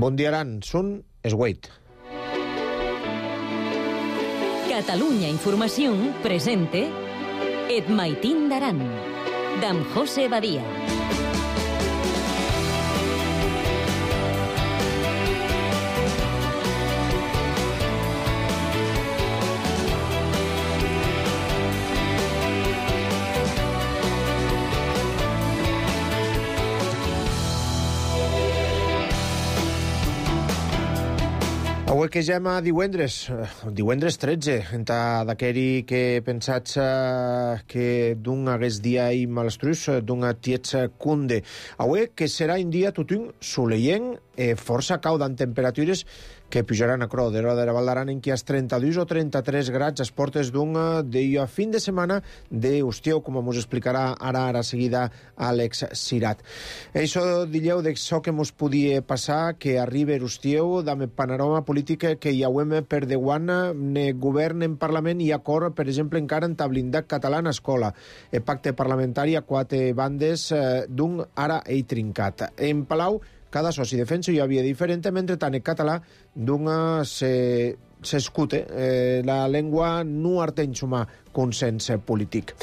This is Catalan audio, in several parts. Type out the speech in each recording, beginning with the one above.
Bon dia, Aran. Són Esgueit. Catalunya Informació presente Et Maitín d'Aran, d'en José Badia. Avui que ja a divendres 13, entà d'aqueri que pensats que d'un hagués dia i malastrus, d'un tiets cunde. Avui que serà un dia tutun soleient, força cau en temperatures que pujaran a cro de l'hora de la Val d'Aran en què has 32 o 33 grads a portes d'un dia fin de setmana d'Ustieu, com ens explicarà ara seguida Àlex Sirat. Això dileu d'això que ens podia passar, que arriba Ustieu, amb el panorama polític que hi hauem per deuant govern en Parlament i acord, per exemple, encara en blindat català en escola. El pacte parlamentari a 4 bandes d'un ara ei trincat. En Palau, cada soci defensa hi havia diferent, mentre tant el català d'un s'escute. La llengua no arteny sumar consens polític.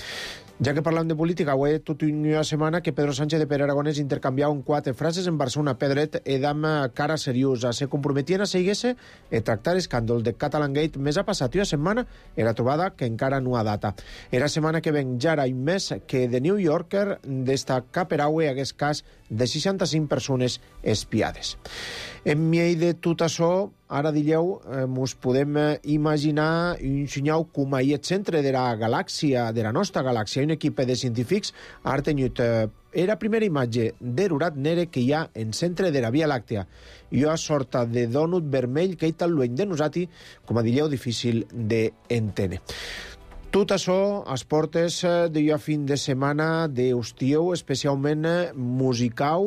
Ja que parlam de política, avui tota una setmana que Pedro Sánchez de Pere Aragonès intercanviava 4 frases en Barcelona Pedret edam cara seriosa. Se comprometien a seguir-se a tractar escàndol de Catalangate més ha passat una setmana era trobada que encara no ha data. Era setmana que ven ja i més que The New Yorker destaca per avui hagués cas de 65 persones espiades. En mi de tot això, ara dileu, mos podem imaginar un senyal com ahir el centre de la galàxia, de la nostra galàxia, un equip de científics ha tenut la primera imatge d'erurat negre que hi ha en centre de la Via Làctea. I una sorta de dònut vermell que hi tan lluny de nosaltres, com a dileu, difícil d'entendre. Tot això a portes d'una fin de setmana d'Ustieu, especialment musical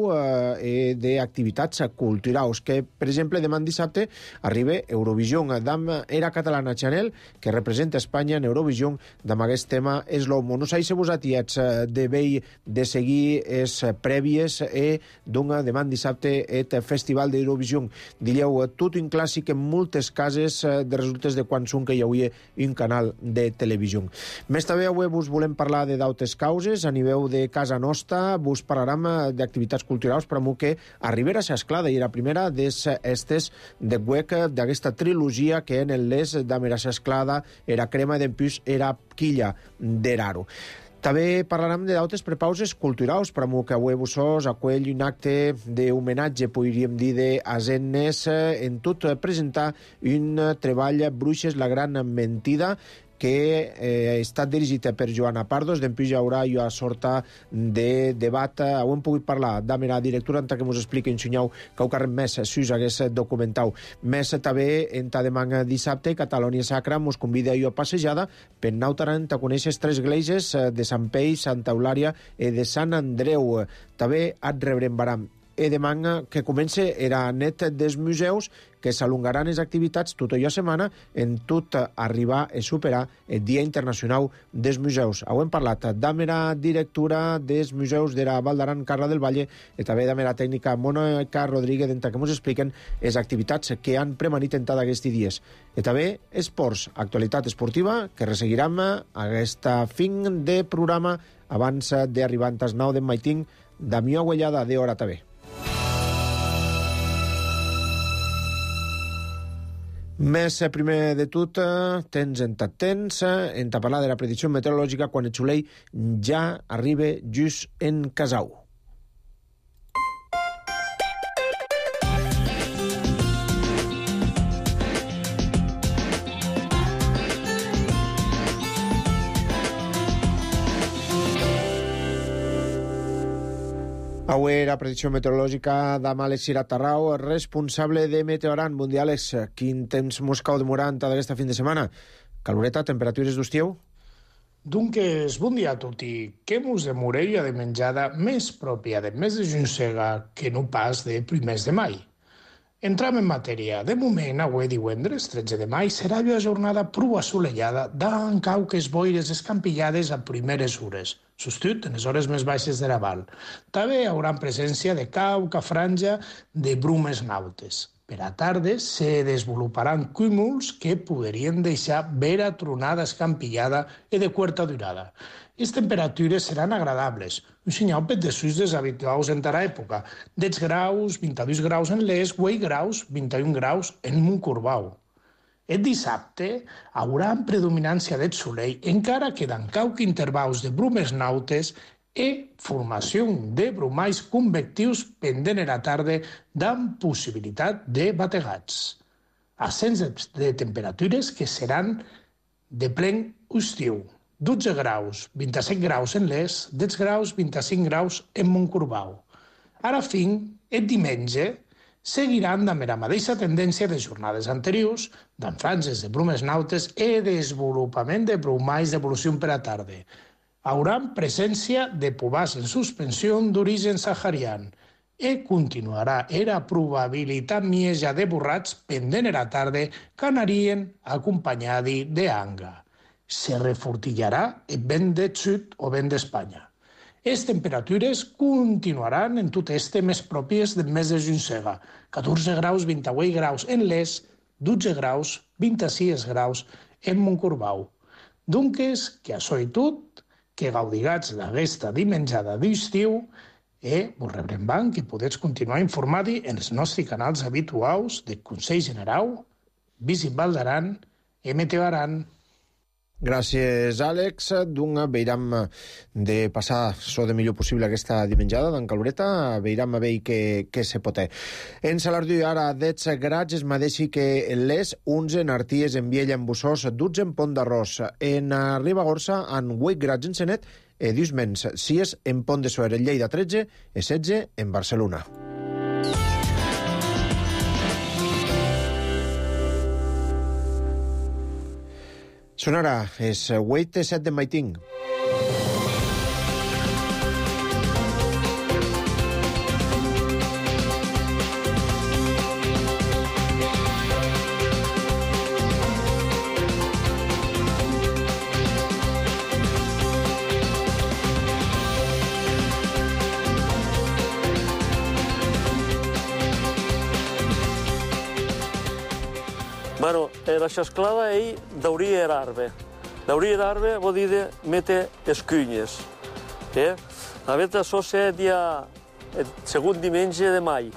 i d'activitats culturals, que, per exemple, demà dissabte arriba Eurovision. D'am era catalana Chanel, que representa Espanya en Eurovision, d'am aquest tema és l'homo. No sé si vos atiets de vell de seguir les prèvies d'un demà dissabte el Festival d'Eurovision. Dileu, tot un clàssic en moltes cases de resultes de quan són que hi hauria un canal de televisió. Més també avui vos volem parlar de d'altres causes. A nivell de casa nostra vos parlarem d'activitats culturals per a que arribera a s'esclada i la primera d'estes de web d'aquesta trilogia que en l'és d'Amera s'esclada era crema d'empús era quilla d'eraro. També parlarem d'altres prepauses culturals, per a que avui vos acull un acte d'homenatge, podríem dir, d'Azennes, en tot presentar un treball Bruixes, la gran mentida, que ha estat dirigit per Joana Pardos. D'empús hi haurà una sorta de debat. Ho hem pogut parlar amb la directora en que ens expliqui un senyal que ho carrem més, si us hagués documentat. Més també, en demà dissabte, Catalunya Sacra ens convida a una passejada per Nautaran a conèixer 3 esglésies de Sant Peix, Santa Eulària i de Sant Andreu. També et rebrem baram. I demà que comença era net dels museus que s'alongaran les activitats tota la setmana en tot arribar a superar el Dia Internacional dels Museus. Ho hem parlat amb la directora dels museus de la Val d'Aran, Carla del Valle, i també amb la tècnica Mònica Rodríguez, que ens expliquen les activitats que han premanit en aquests dies. I també esports, actualitat esportiva, que resseguirem aquesta fin de programa abans d'arribar als 9 d'en Maitín, Damió Aguellada, de Hora TV. Més primer de tot, tens en parlar de la predicció meteorològica quan el xulei ja arriba just en Casau. Avui la predicció meteorològica d'am Àlex Sirat Tarrau, responsable de Meteoran. Bon dia, Àlex. Quin temps mos cau demorant d'aquesta fin de setmana? Caloreta, temperatures d'Ustieu? Doncs, bon dia a tutti. Que mos demorella de menjada més pròpia de mes de juny-sega que no pas de primers de mai. Entram en matèria. De moment, avui divendres, 13 de mai, serà una jornada prou assolellada, d'en cau que es boires escampillades a primeres hores, substitut en les hores més baixes de l'aval. També hi haurà presència de cauca, franja, de brumes nautes. Per a tarda se desenvoluparan cúmuls que podrien deixar vera tronada escampillada i de curta durada. Les temperatures seran agradables, un senyal per desús deshabituals en tara època, 10 graus, 22 graus en l'est, 8 graus, 21 graus en Montcorbau. El dissabte hi haurà predominància del solell, encara que d'en cauc intervals de brumes nautes i formació de brumalls convectius pendent a la tarda amb possibilitat de bategats. Ascens de temperatures que seran de plen estiu. 12 graus, 27 graus en l'est, 10 graus, 25 graus en Montcorbau. Ara fin, el diumenge, seguiran amb la mateixa tendència de jornades anteriors, d'en franges de brumes nautes i desenvolupament de brumalls d'evolució per a tarda. Haurà presència de pobars en suspensió d'origen saharian i continuarà la probabilitat mieja de borrats pendent a la tarda que anarien acompanyats d'anga. Se refortillarà el vent de sud o vent d'Espanya. Les temperatures continuaran en tot este més pròpies del mes de juny-sega, 14 graus, 28 graus en l'est, 12 graus, 26 graus en Montcorbau. Doncs, que això i tot, que gaudigats d'aquesta dimenjada d'estiu i vos rebrem que podeu continuar informant-hi en els nostres canals habituals de Consell General, Visit Val d'Aran i Meteo Aran. Gràcies, Àlex. Veiram de passar so de millor possible aquesta dimenjada d'en Caloreta. Veiram a veure què se pot. En Salardú ara 10 grads, es mateixi que les 11 en Arties, en Viella, en Bussós, 12 en Pont d'Arròs. En Ribagorça, en 8 grads en Senet, 10 menys, 6 en Pont de Suert, en Lleida 13 i 16 en Barcelona. Sonarà, és 8-7 de Maiting. Bueno, la xasclada ell deuria l'arbre. Deuria l'arbre vol dir de mete escunyes. A veure, això és el segon diumenge de mai.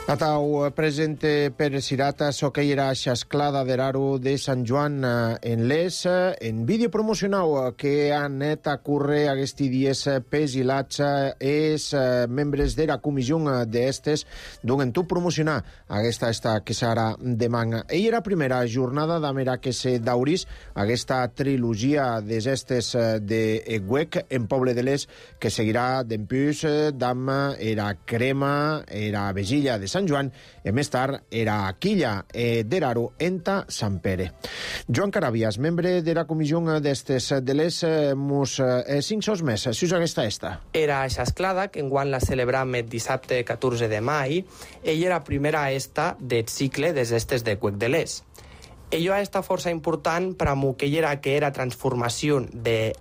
Atau presente per Sirata so que era xasclada d'Eraro de Sant Joan en l'Es, en vídeo promocionau que han anat a córrer aquests dies pesilats els membres de la comissió d'estes d'un tu promocionar aquesta que serà demà. Ell era primera jornada d'amera que se dauris aquesta trilogia des estes de Eguec en Poble de l'Es que seguirà d'empús d'am era crema, era vegilla de Sant Joan, i més tard era quilla d'Eraro enta Sant Pere. Joan Carabias, membre de la comissió d'estes de l'Es, mos 5 sos més, si us aquesta esta. Era xasclada, que enguany la celebram el dissabte 14 de mai, ella era primera esta del cicle des estes de Cuec de l'Es. Ella està força important per a que era transformació de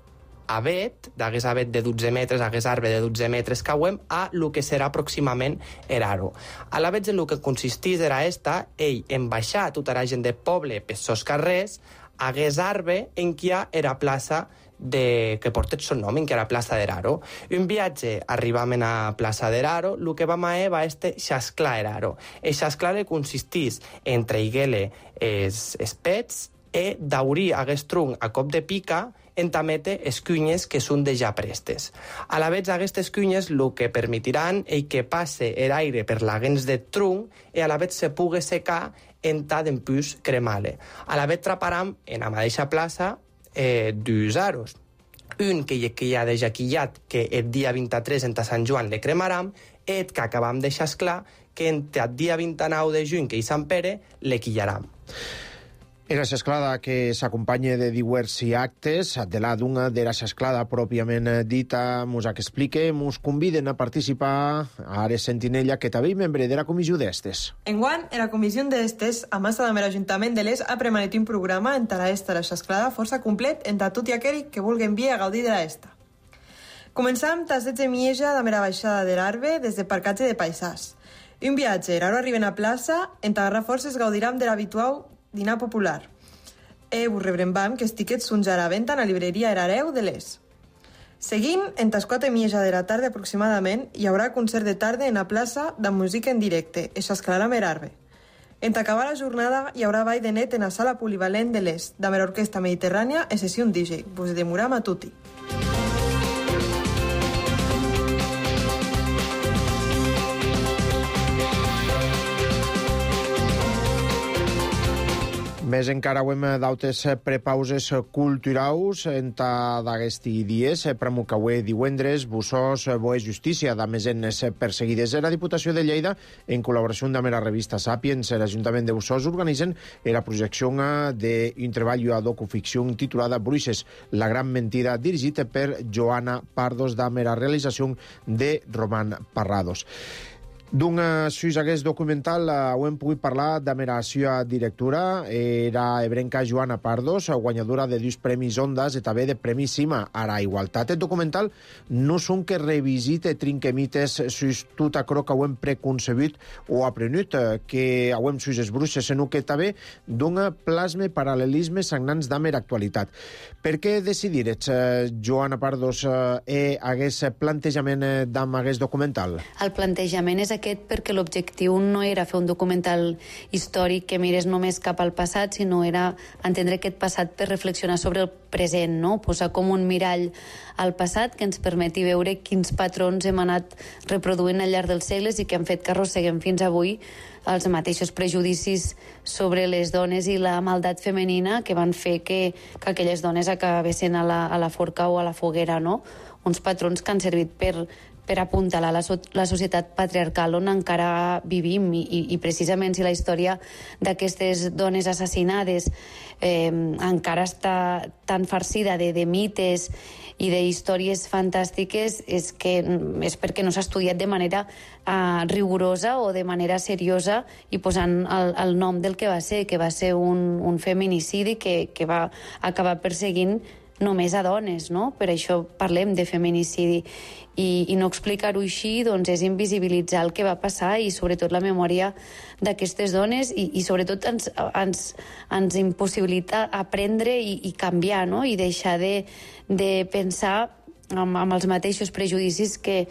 avet, d'hagués avet de 12 metres, hagués arbre de 12 metres cauem, a lo que serà pròximament Eraro. A la vez en el que consistís era ell en baixar tota la gent de poble per sos carrers, hagués arbre en qui era plaça que porta el son nom, en qui era plaça d'Eraro. Un viatge arribament a plaça d'Eraro, el que vam va xasclar Eraro. El xasclar consistís en treiguer els pets i daurir hagués tronc a cop de pica en tamete escunyes que són de ja prestes. A la vez, aquestes cunyes el que permetiran és que passe l'aire per l'aguens de tronc i a la vez se pugui secar en ta d'empús cremale. A la vez traparam en la mateixa plaça dos aros. Un que hi ha de jaquillat, que el dia 23 en Sant Joan le cremaram, i que acabam de xasclar, que el dia 29 de juny, que hi Sant Pere, le quillaram. Era l'esclada que s'acompanya de diversi actes, de la d'una de l'esclada pròpiament dita, mos explique, mos conviden a participar a Ares Sentinella, que també membre de la comissió d'estes. Enguany, la comissió d'estes, a massa de l'Ajuntament de l'Es, ha premanet un programa entre l'esta i l'esclada força complet entre tot i aquell que vulguen vir a gaudir de l'esta. Començam tas 16 mieja de la baixada de l'Arbe des de Parcatge de Paisàs. Un viatge, ara arriben a plaça, entre agarrar forces gaudiram de l'habitual dinar popular. Vos rebrembam que els tiquets són ja a la venda a la libreria Herareu de l'Es. Seguim, en tas 4:30 de la tarda aproximadament, hi haurà concert de tarda en la plaça de música en directe, i s'escalarà amb l'Arbe. En acabar la jornada hi haurà ball de net en la sala polivalent de l'Es, de l'Orquestra Mediterrània i sessió DJ. Vos demoram a tutti. Més encara ho hem d'autes prepauses culturals enta d'aquesti dies, premucaué divendres, Bussós, Boe Justícia, de mesenes perseguides. La Diputació de Lleida, en col·laboració amb la revista Sapiens, l'Ajuntament de Bussós, organitzen la projecció d'un treball a docuficció titulada Bruixes, la gran mentida, dirigit per Joana Pardos, de la realització de Roman Parrados. D'un sus aquest documental ho hem pogut parlar de la seva directora, era ebrenca Joana Pardos, guanyadora de 2 premis Ondas i també de Premi Cima a la Igualtat. El documental no són que revisite trinquemites sus tot això que ho hem preconcebut o aprenut, que ho hem sus les bruixes, sinó que també dona plasme paral·lelismes sagnants de la actualitat. Per què decidirets, Joana Pardos, aquest plantejament d'aquest documental? El plantejament és aquest perquè l'objectiu no era fer un documental històric que mirés només cap al passat, sinó era entendre aquest passat per reflexionar sobre el present, no? Posar com un mirall al passat que ens permeti veure quins patrons hem anat reproduint al llarg dels segles i que han fet que arrosseguem fins avui els mateixos prejudicis sobre les dones i la maldat femenina que van fer que aquelles dones acabessin a la forca o a la foguera, no? Uns patrons que han servit per apuntalar la societat patriarcal on encara vivim i precisament si la història d'aquestes dones assassinades encara està tan farcida de mites i d'històries fantàstiques és perquè no s'ha estudiat de manera rigorosa o de manera seriosa i posant el nom del que va ser un feminicidi que va acabar perseguint només a dones, no? Per això parlem de feminicidi. I no explicar-ho així doncs, és invisibilitzar el que va passar i sobretot la memòria d'aquestes dones i sobretot ens impossibilita aprendre i canviar, no? I deixar de pensar amb els mateixos prejudicis que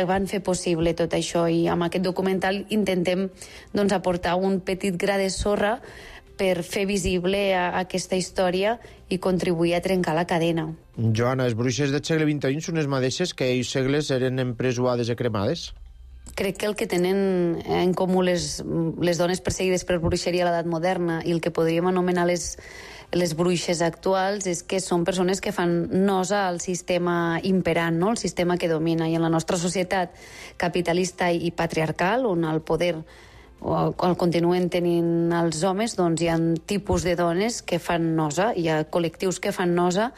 van fer possible tot això. I amb aquest documental intentem doncs, aportar un petit gra de sorra per fer visible aquesta història i contribuir a trencar la cadena. Joana, les bruixes del segle XXI són les mateixes que ells segles eren empresuades i cremades? Crec que el que tenen en comú les dones perseguides per bruixeria a l'edat moderna i el que podríem anomenar les bruixes actuals és que són persones que fan nosa al sistema imperant, no? El sistema que domina. I en la nostra societat capitalista i patriarcal, on el poder el continuen tenint els homes, doncs hi ha tipus de dones que fan nosa, hi ha col·lectius que fan nosa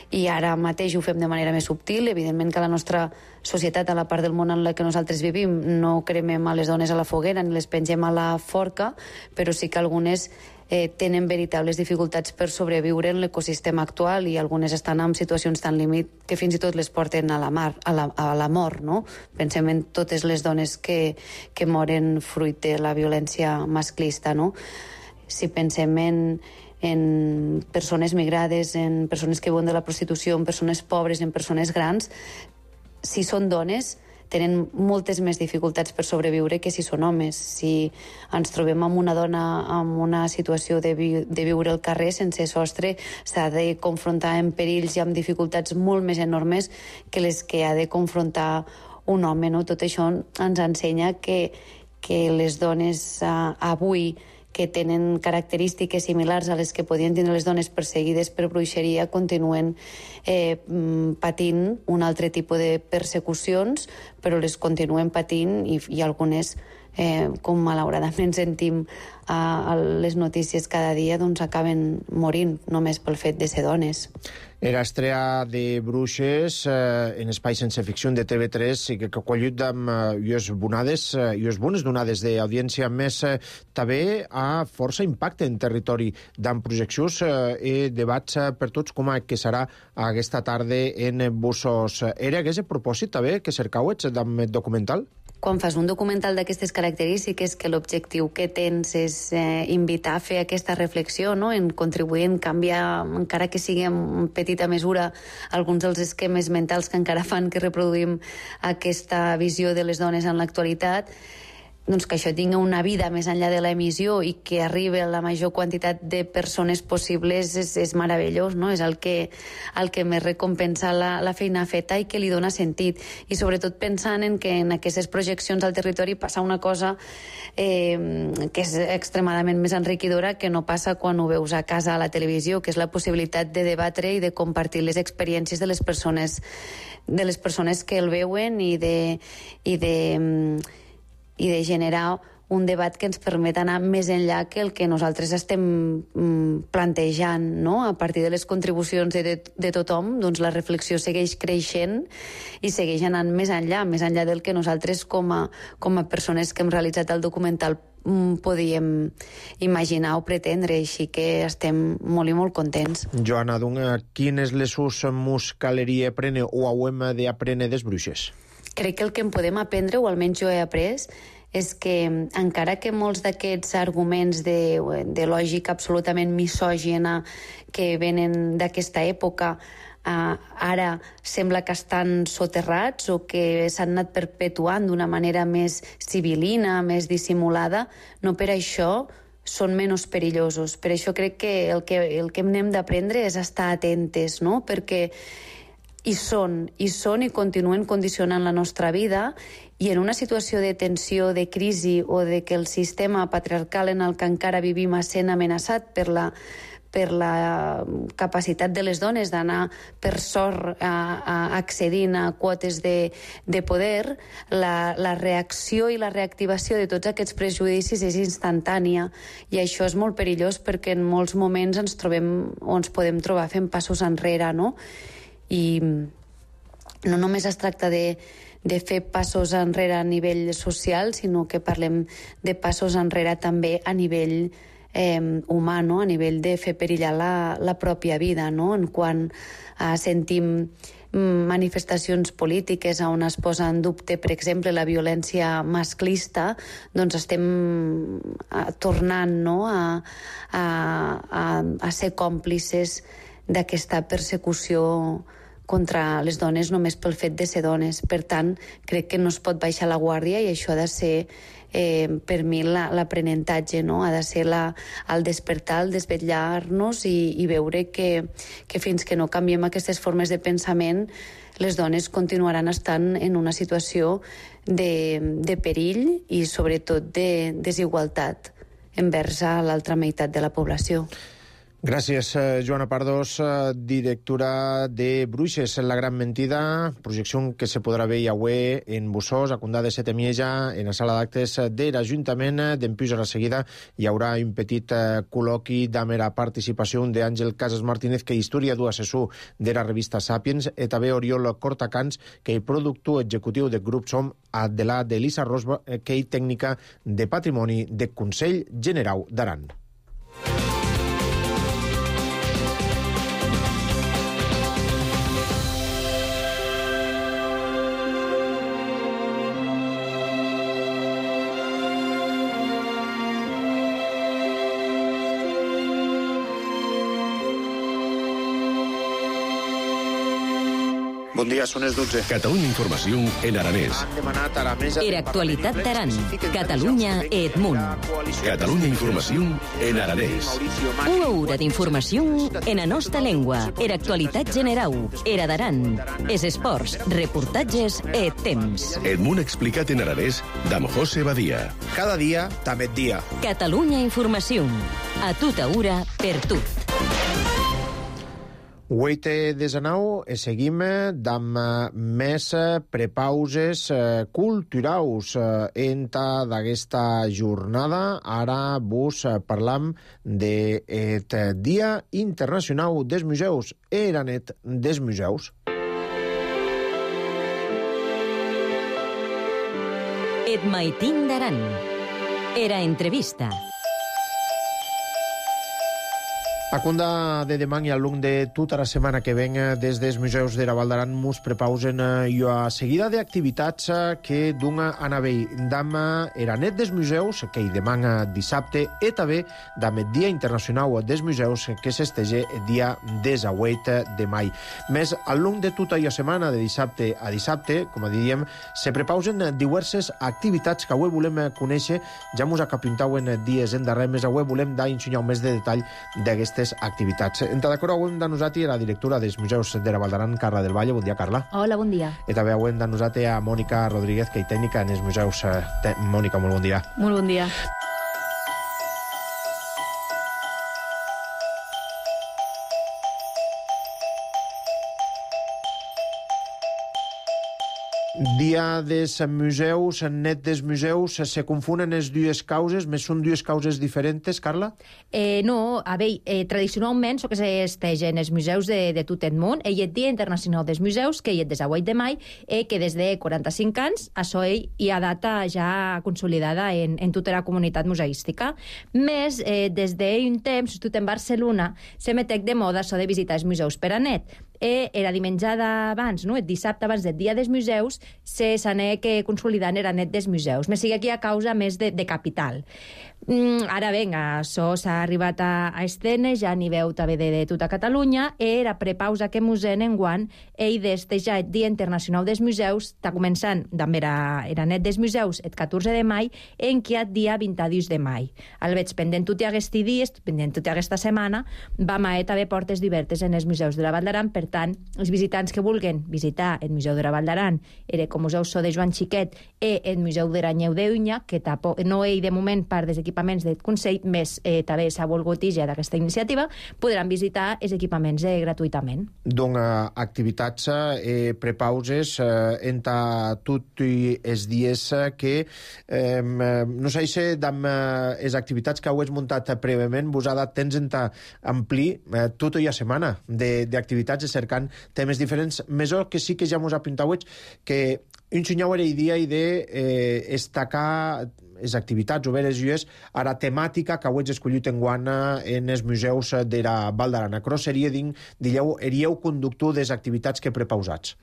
i ara mateix ho fem de manera més subtil. Evidentment que a la nostra societat, a la part del món en la que nosaltres vivim, no cremem a les dones a la foguera ni les pengem a la forca, però sí que algunes tenen veritables dificultats per sobreviure en l'ecosistema actual i algunes estan en situacions tan límit que fins i tot les porten a la mort, no? Pensem en totes les dones que moren fruit de la violència masclista, no? Si pensem en persones migrades, en persones que viuen de la prostitució, en persones pobres, en persones grans, si són dones tenen moltes més dificultats per sobreviure que si són homes. Si ens trobem amb una dona en una situació de viure al carrer sense sostre, s'ha de confrontar amb perills i amb dificultats molt més enormes que les que ha de confrontar un home, no? Tot això ens ensenya que les dones avui que tenen característiques similars a les que podien tenir les dones perseguides per bruixeria continuen patint un altre tipus de persecucions, però les continuen patint i algunes com malauradament sentim a les notícies cada dia, doncs acaben morint només pel fet de ser dones. Era estrella de Bruixes en Espai Sense Ficció de TV3 i que collit amb ues bones donades d'audiència més també a força impacte en territori d'en projeccions i debats per tots com que serà aquesta tarda en Bussos. Era aquest propòsit també que cercauets d'en documental? Quan fas un documental d'aquestes característiques, que l'objectiu que tens és invitar a fer aquesta reflexió, no? En contribuir en canviar, encara que sigui en petita mesura, alguns dels esquemes mentals que encara fan que reproduïm aquesta visió de les dones en l'actualitat, doncs que això tingui una vida més enllà de l'emissió i que arribi a la major quantitat de persones possibles és meravellós, no? És el que més recompensa la feina feta i que li dona sentit. I sobretot pensant en que en aquestes projeccions al territori passa una cosa que és extremadament més enriquidora que no passa quan ho veus a casa a la televisió, que és la possibilitat de debatre i de compartir les experiències de les persones que el veuen i de generar un debat que ens permet anar més enllà que el que nosaltres estem plantejant, no? A partir de les contribucions de tothom, doncs la reflexió segueix creixent i segueix anant més enllà del que nosaltres com a persones que hem realitzat el documental podíem imaginar o pretendre, així que estem molt i molt contents. Joana Dunga, quines lessons mos caleria aprendre o hauem d'aprendre des Bruixes? Crec que el que en podem aprendre, o almenys jo he après, és que encara que molts d'aquests arguments de lògica absolutament misògina que venen d'aquesta època ara sembla que estan soterrats o que s'han anat perpetuant d'una manera més civilina, més dissimulada, no per això són menys perillosos. Per això crec que el que hem d'aprendre és estar atentes, no? Perquè hi són i continuen condicionant la nostra vida, i en una situació de tensió, de crisi o de que el sistema patriarcal en el que encara vivim sent amenaçat per la capacitat de les dones d'anar per sort accedint a quotes de poder, la reacció i la reactivació de tots aquests prejudicis és instantània, i això és molt perillós perquè en molts moments ens podem trobar fent passos enrere, no? I no només es tracta de fer passos enrere a nivell social, sinó que parlem de passos enrere també a nivell humà, no? A nivell de fer perillar la pròpia vida, no? En quan sentim manifestacions polítiques on es posa en dubte, per exemple, la violència masclista, doncs estem tornant, no? a ser còmplices d'aquesta persecució contra les dones només pel fet de ser dones. Per tant, crec que no es pot baixar la guàrdia, i això ha de ser, per mi, l'aprenentatge, no? Ha de ser el despertar, el desvetllar-nos i veure que fins que no canviem aquestes formes de pensament, les dones continuaran estant en una situació de perill i, sobretot, de desigualtat envers l'altra meitat de la població. Gràcies, Joana Pardos, directora de Bruixes, La gran mentida, projecció que se podrà veure avui en Bussos, a Condà de Setemieja, en la sala d'actes de l'Ajuntament. D'empús a la seguida hi haurà un petit col·loqui d'amera participació d'Àngel Casas Martínez, que és historiador assessor de la revista Sapiens, i també Oriol Cortacans, que és productor executiu del grup Som, de la d'Elisa Rosba, que és tècnica de patrimoni del Consell General d'Aran. Bon dia, són les 12. Catalunya Informació en aranès. Era actualitat d'Aran. Catalunya e Edmunt. Catalunya Informació en aranès. Una hora d'informació en la nostra llengua. Era actualitat general. Era d'Aran. Es esports, reportatges e temps. Edmunt explicat en aranès d'Am José Badia. Cada dia, també dia. Catalunya Informació. A tota hora, per tot. 8:19 e seguim damb més prepauses culturaus enta d'aguesta jornada. Ara vos parlam d'eth Dia Internacional des Museus, era net des museus. Et maitin d'Aran. Era entrevista. A cunda de demà i al long de tota la setmana que ven des dels museus de la Val d'Aran mos prepausen jo a seguida d'activitats que dunga a navell damb era net des museus que hi demà dissabte e també damb el Dia Internacional des Museus que s'estege el dia 18 de mai. Més al long de tota la setmana de dissabte a dissabte, com a diríem, se prepausen diverses activitats que avui volem conèixer. Ja mos acapintauen dies endarrere, més avui volem dar ensenyar més de detall d'aquestes activitats. Entra d'acord avui amb nosaltres la directora dels Museus de la Val d'Aran, Carla del Valle. Bon dia, Carla. Hola, bon dia. I també avui amb nosaltres a Mònica Rodríguez, que és tècnica en els museus. Mònica, molt bon dia. Molt bon dia. Dia des museus, net des museus, se confunen les dues causes, més són dues causes diferents, Carla? No, a veure, tradicionalment so que s'estege en els museus de tot el món, i el Dia Internacional des Museus, que hi és des de 8 de mai, que des de 45 anys, això hi ha data ja consolidada en tota la comunitat museística. Més, des d'un temps, sobretot en Barcelona, se metec de moda això de visitar els museus per a net. Era dimenjada abans, no? El dissabte abans del Dia dels Museus, se s'anec consolidant era net dels museus. Me sigue aquí a causa més de capital. Ara ben, això s'ha arribat a escena, ja n'hi veu també de tota Catalunya, era prepausa que museen enguant, d'este ja el Dia Internacional dels Museus, està començant, també era net dels museus, el 14 de mai, en què el dia 22 de mai. Al veig pendent tot aquests dies, pendent tota aquesta setmana, vam a també portes diverses en els museus de la Val d'Aran. Per tant, els visitants que vulguen visitar el Museu de la Val d'Aran, com Museu So de Joan Xiquet i el Museu de Ranyeu d'Unya, que no hi de moment part dels equipaments del Consell, més també s'ha volgut ja d'aquesta iniciativa, podran visitar els equipaments gratuïtament. Donc, activitats prepauses entre tots els dies que no sé si amb les activitats que heu muntat prèviament vos ha dat temps d'amplir tota la setmana d'activitats cercant temes diferents, més que sí que ja mos ha pintat que un senyor era idea de destacar les activitats oberes llues a la temàtica que heu escollit enguant en els museus de la Val d'Aran. Això seria, diríeu, conductor de les activitats que prepausats.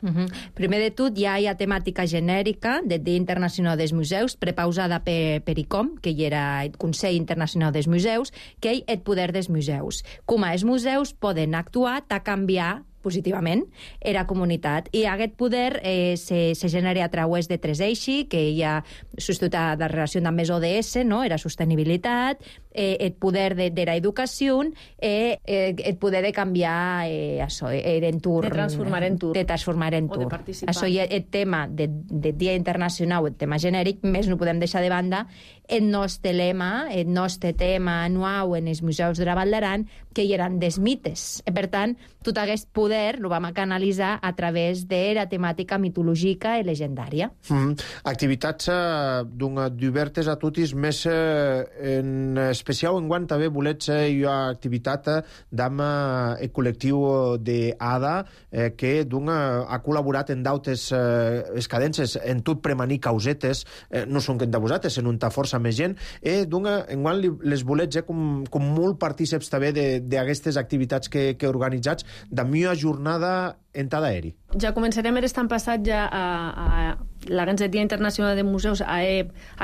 Primer de tot, ja hi ha temàtica genèrica del Dia Internacional dels Museus, prepausada per ICOM, que hi era el Consell Internacional dels Museus, que hi el poder dels museus. Com els museus poden actuar a canviar positivament era comunitat. I aquest poder se genera a través de tres eixos, que hi ha substitutat la relació amb més ODS, no? Era sostenibilitat, el poder de l'educació, el poder de canviar l'entorn. De transformar entorn. De transformar entorn. O de participar. Això hi ha el tema del Dia Internacional, el tema genèric, més no podem deixar de banda el nostre lema, el nostre tema anual en els museus de la Val d'Aran, que hi eren des mites. Per tant, tot aquest poder lo vam canalitzar a través de la temàtica mitològica i legendària. Activitats diverses a totes, més en especial enguant també volets una activitat amb el col·lectiu d'ADA, que ha col·laborat en d'altres cadències, en tot premanir causetes, no són que de vosaltres, en una força més gent, enguant les volets com molt partíceps també d'aquestes activitats que organitzats, de millor jornada en cada aeri. Ja començarem l'estat passat ja a l'Agència Dia Internacional de Museus a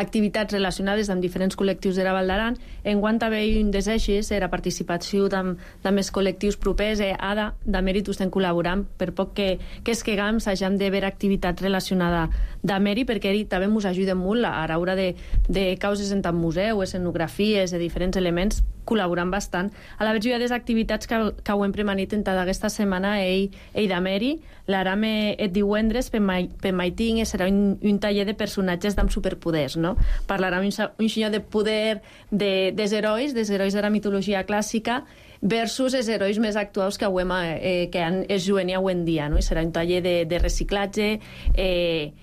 activitats relacionades amb diferents col·lectius de la Val d'Aran. Enguant també un dels eixos era participació amb els col·lectius propers. Ara, de mèrit, estem col·laborant per poc que esquegam s'hagem de veure activitats relacionades de mèrit, perquè també ens ajuden molt a l'hora de causes en tant museu, escenografies, de diferents elements, col·laborant bastant. A la vegada hi ha des activitats que ho hem premanit en tota aquesta setmana de mèrit. L'aram et divendres per maiting serà un taller de personatges amb superpoders, no? Parlarà un senyor de poder dels herois de la mitologia clàssica, versus els herois més actuals que es juguen avui en dia, no? I serà un taller de reciclatge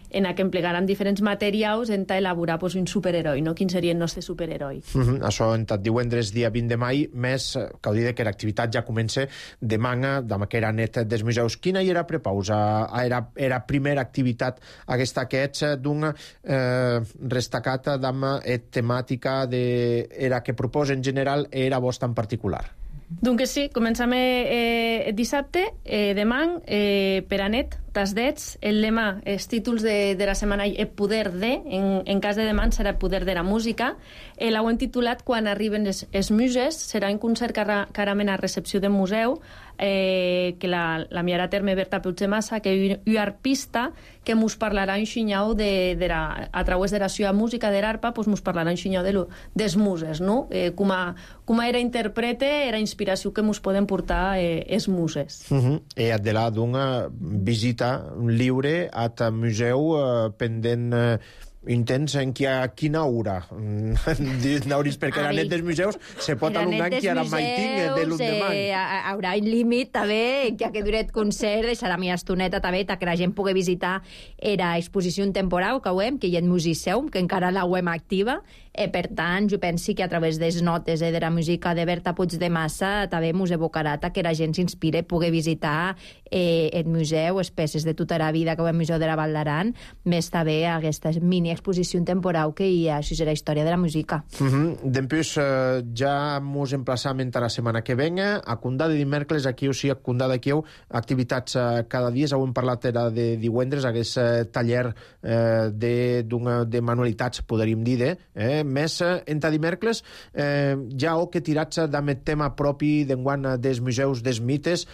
en què emplegaran diferents materials en elaborar un superheroi, no? Quin seria el nostre superheroi. Això en tot divendres, dia 20 de mai, més que ho dir que l'activitat ja comença demà, demà que era net dels museus. Quina era prepausa? Era primera activitat aquesta que ets d'una restacata d'ama temàtica era que proposa en general era vostra en particular? Donc sí, comencem dissabte, demà, per a net, tasdets, el lema, els títols de la setmana, el poder de, en cas de demà serà el poder de la música, l'ho hem titulat Quan arriben els muses, serà un concert carament a recepció del museu, que la miarà a terme Berta Puigdemassa, que és una arpista que mos parlarà un xinyau a través de la seva música de l'arpa, mos parlarà un xinyau dels muses, no? Com era interprete, era inspiració que mos poden portar els muses. I de là d'una visita lliure al museu pendent intents en quina hora n'hauris, perquè la net dels museus se pot alungar en qui ara mai tinc de l'endemà. Haurà un límit també, que duret concert deixarà mi estoneta també, que la gent pugui visitar era exposició temporal que hi ha en Musiseum, que encara la web activa. Per tant, jo penso que a través de les notes de la música de Berta Puigdemassa també mos evocarà que la gent s'inspire, pugui visitar el museu, les peces de tota la vida que hi ha al Museu de la Val d'Aran, més també aquesta mini exposició temporal que hi ha a la història de la música. Després ja mos emplaçam a la setmana que venga, a Condà de dimecres, aquí o sigui, a Condà d'aquí, activitats cada dia, ho hem parlat de divendres, aquest taller de manualitats, podríem dir, més entre dimecres, ja que tirats amb el tema propi d'enguany dels museus dels mites,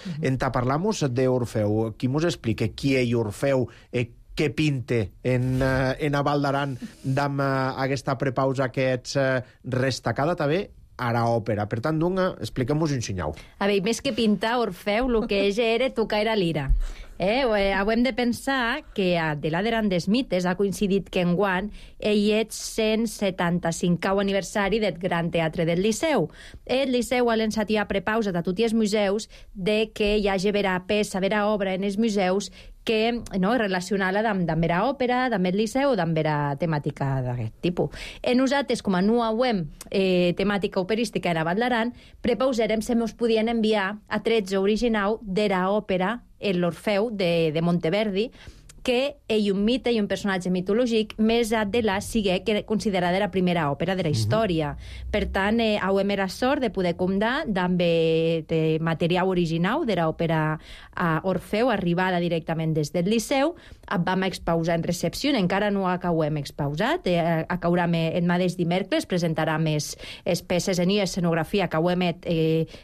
parlamos d'Orfeu. Qui mos explica qui és Orfeu, què pinte en a Val d'Aran amb aquesta prepausa que ets restacada també a l'òpera. Per tant, expliquem-nos un xinyau. A veure, més que pintar Orfeu, el que és era tocar la lira. Hem de pensar que a de l'Aderan des mites ha coincidit que enguany ell és 175è aniversari del Gran Teatre del Liceu. El Liceu ha lançat ja prepausa a tots els museus de que hi hagi vera peça, vera obra en els museus que relacionada amb vera òpera, amb el Liceu o amb vera temàtica d'aquest tipus. Nosaltres, com a no web temàtica operística en Val d'Aran, prepausarem se mos podien enviar a 13 original de l'òpera l'Orfeu de Monteverdi, que ell un mite i un personatge mitològic més de la sigui considerada la primera òpera de la història. Per tant, hem la sort de poder comptar amb material original de l'òpera Orfeu, arribada directament des del Liceu. Vam expausar en recepció, encara no acabem expausat, acaurem el mateix dimecres, presentarem les peces en escenografia que hem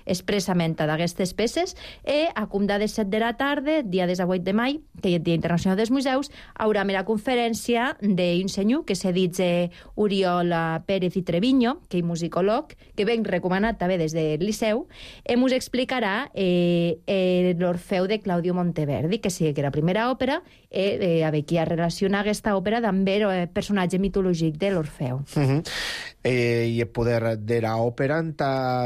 expressament d'aquestes peces, i a comptar de 7 de la tarda, dia 18 de mai, que és el Dia Internacional dels Museus, haurà una conferència d'un senyor que se diu Oriol Pérez i Treviño, que és musicòleg, que ben recomanat també des del Liceu, i ens explicarà l'Orfeu de Claudio Monteverdi, que sí que era la primera òpera, a veure qui ha relacionat aquesta òpera amb el personatge mitològic de l'Orfeu. I el poder de l'òpera,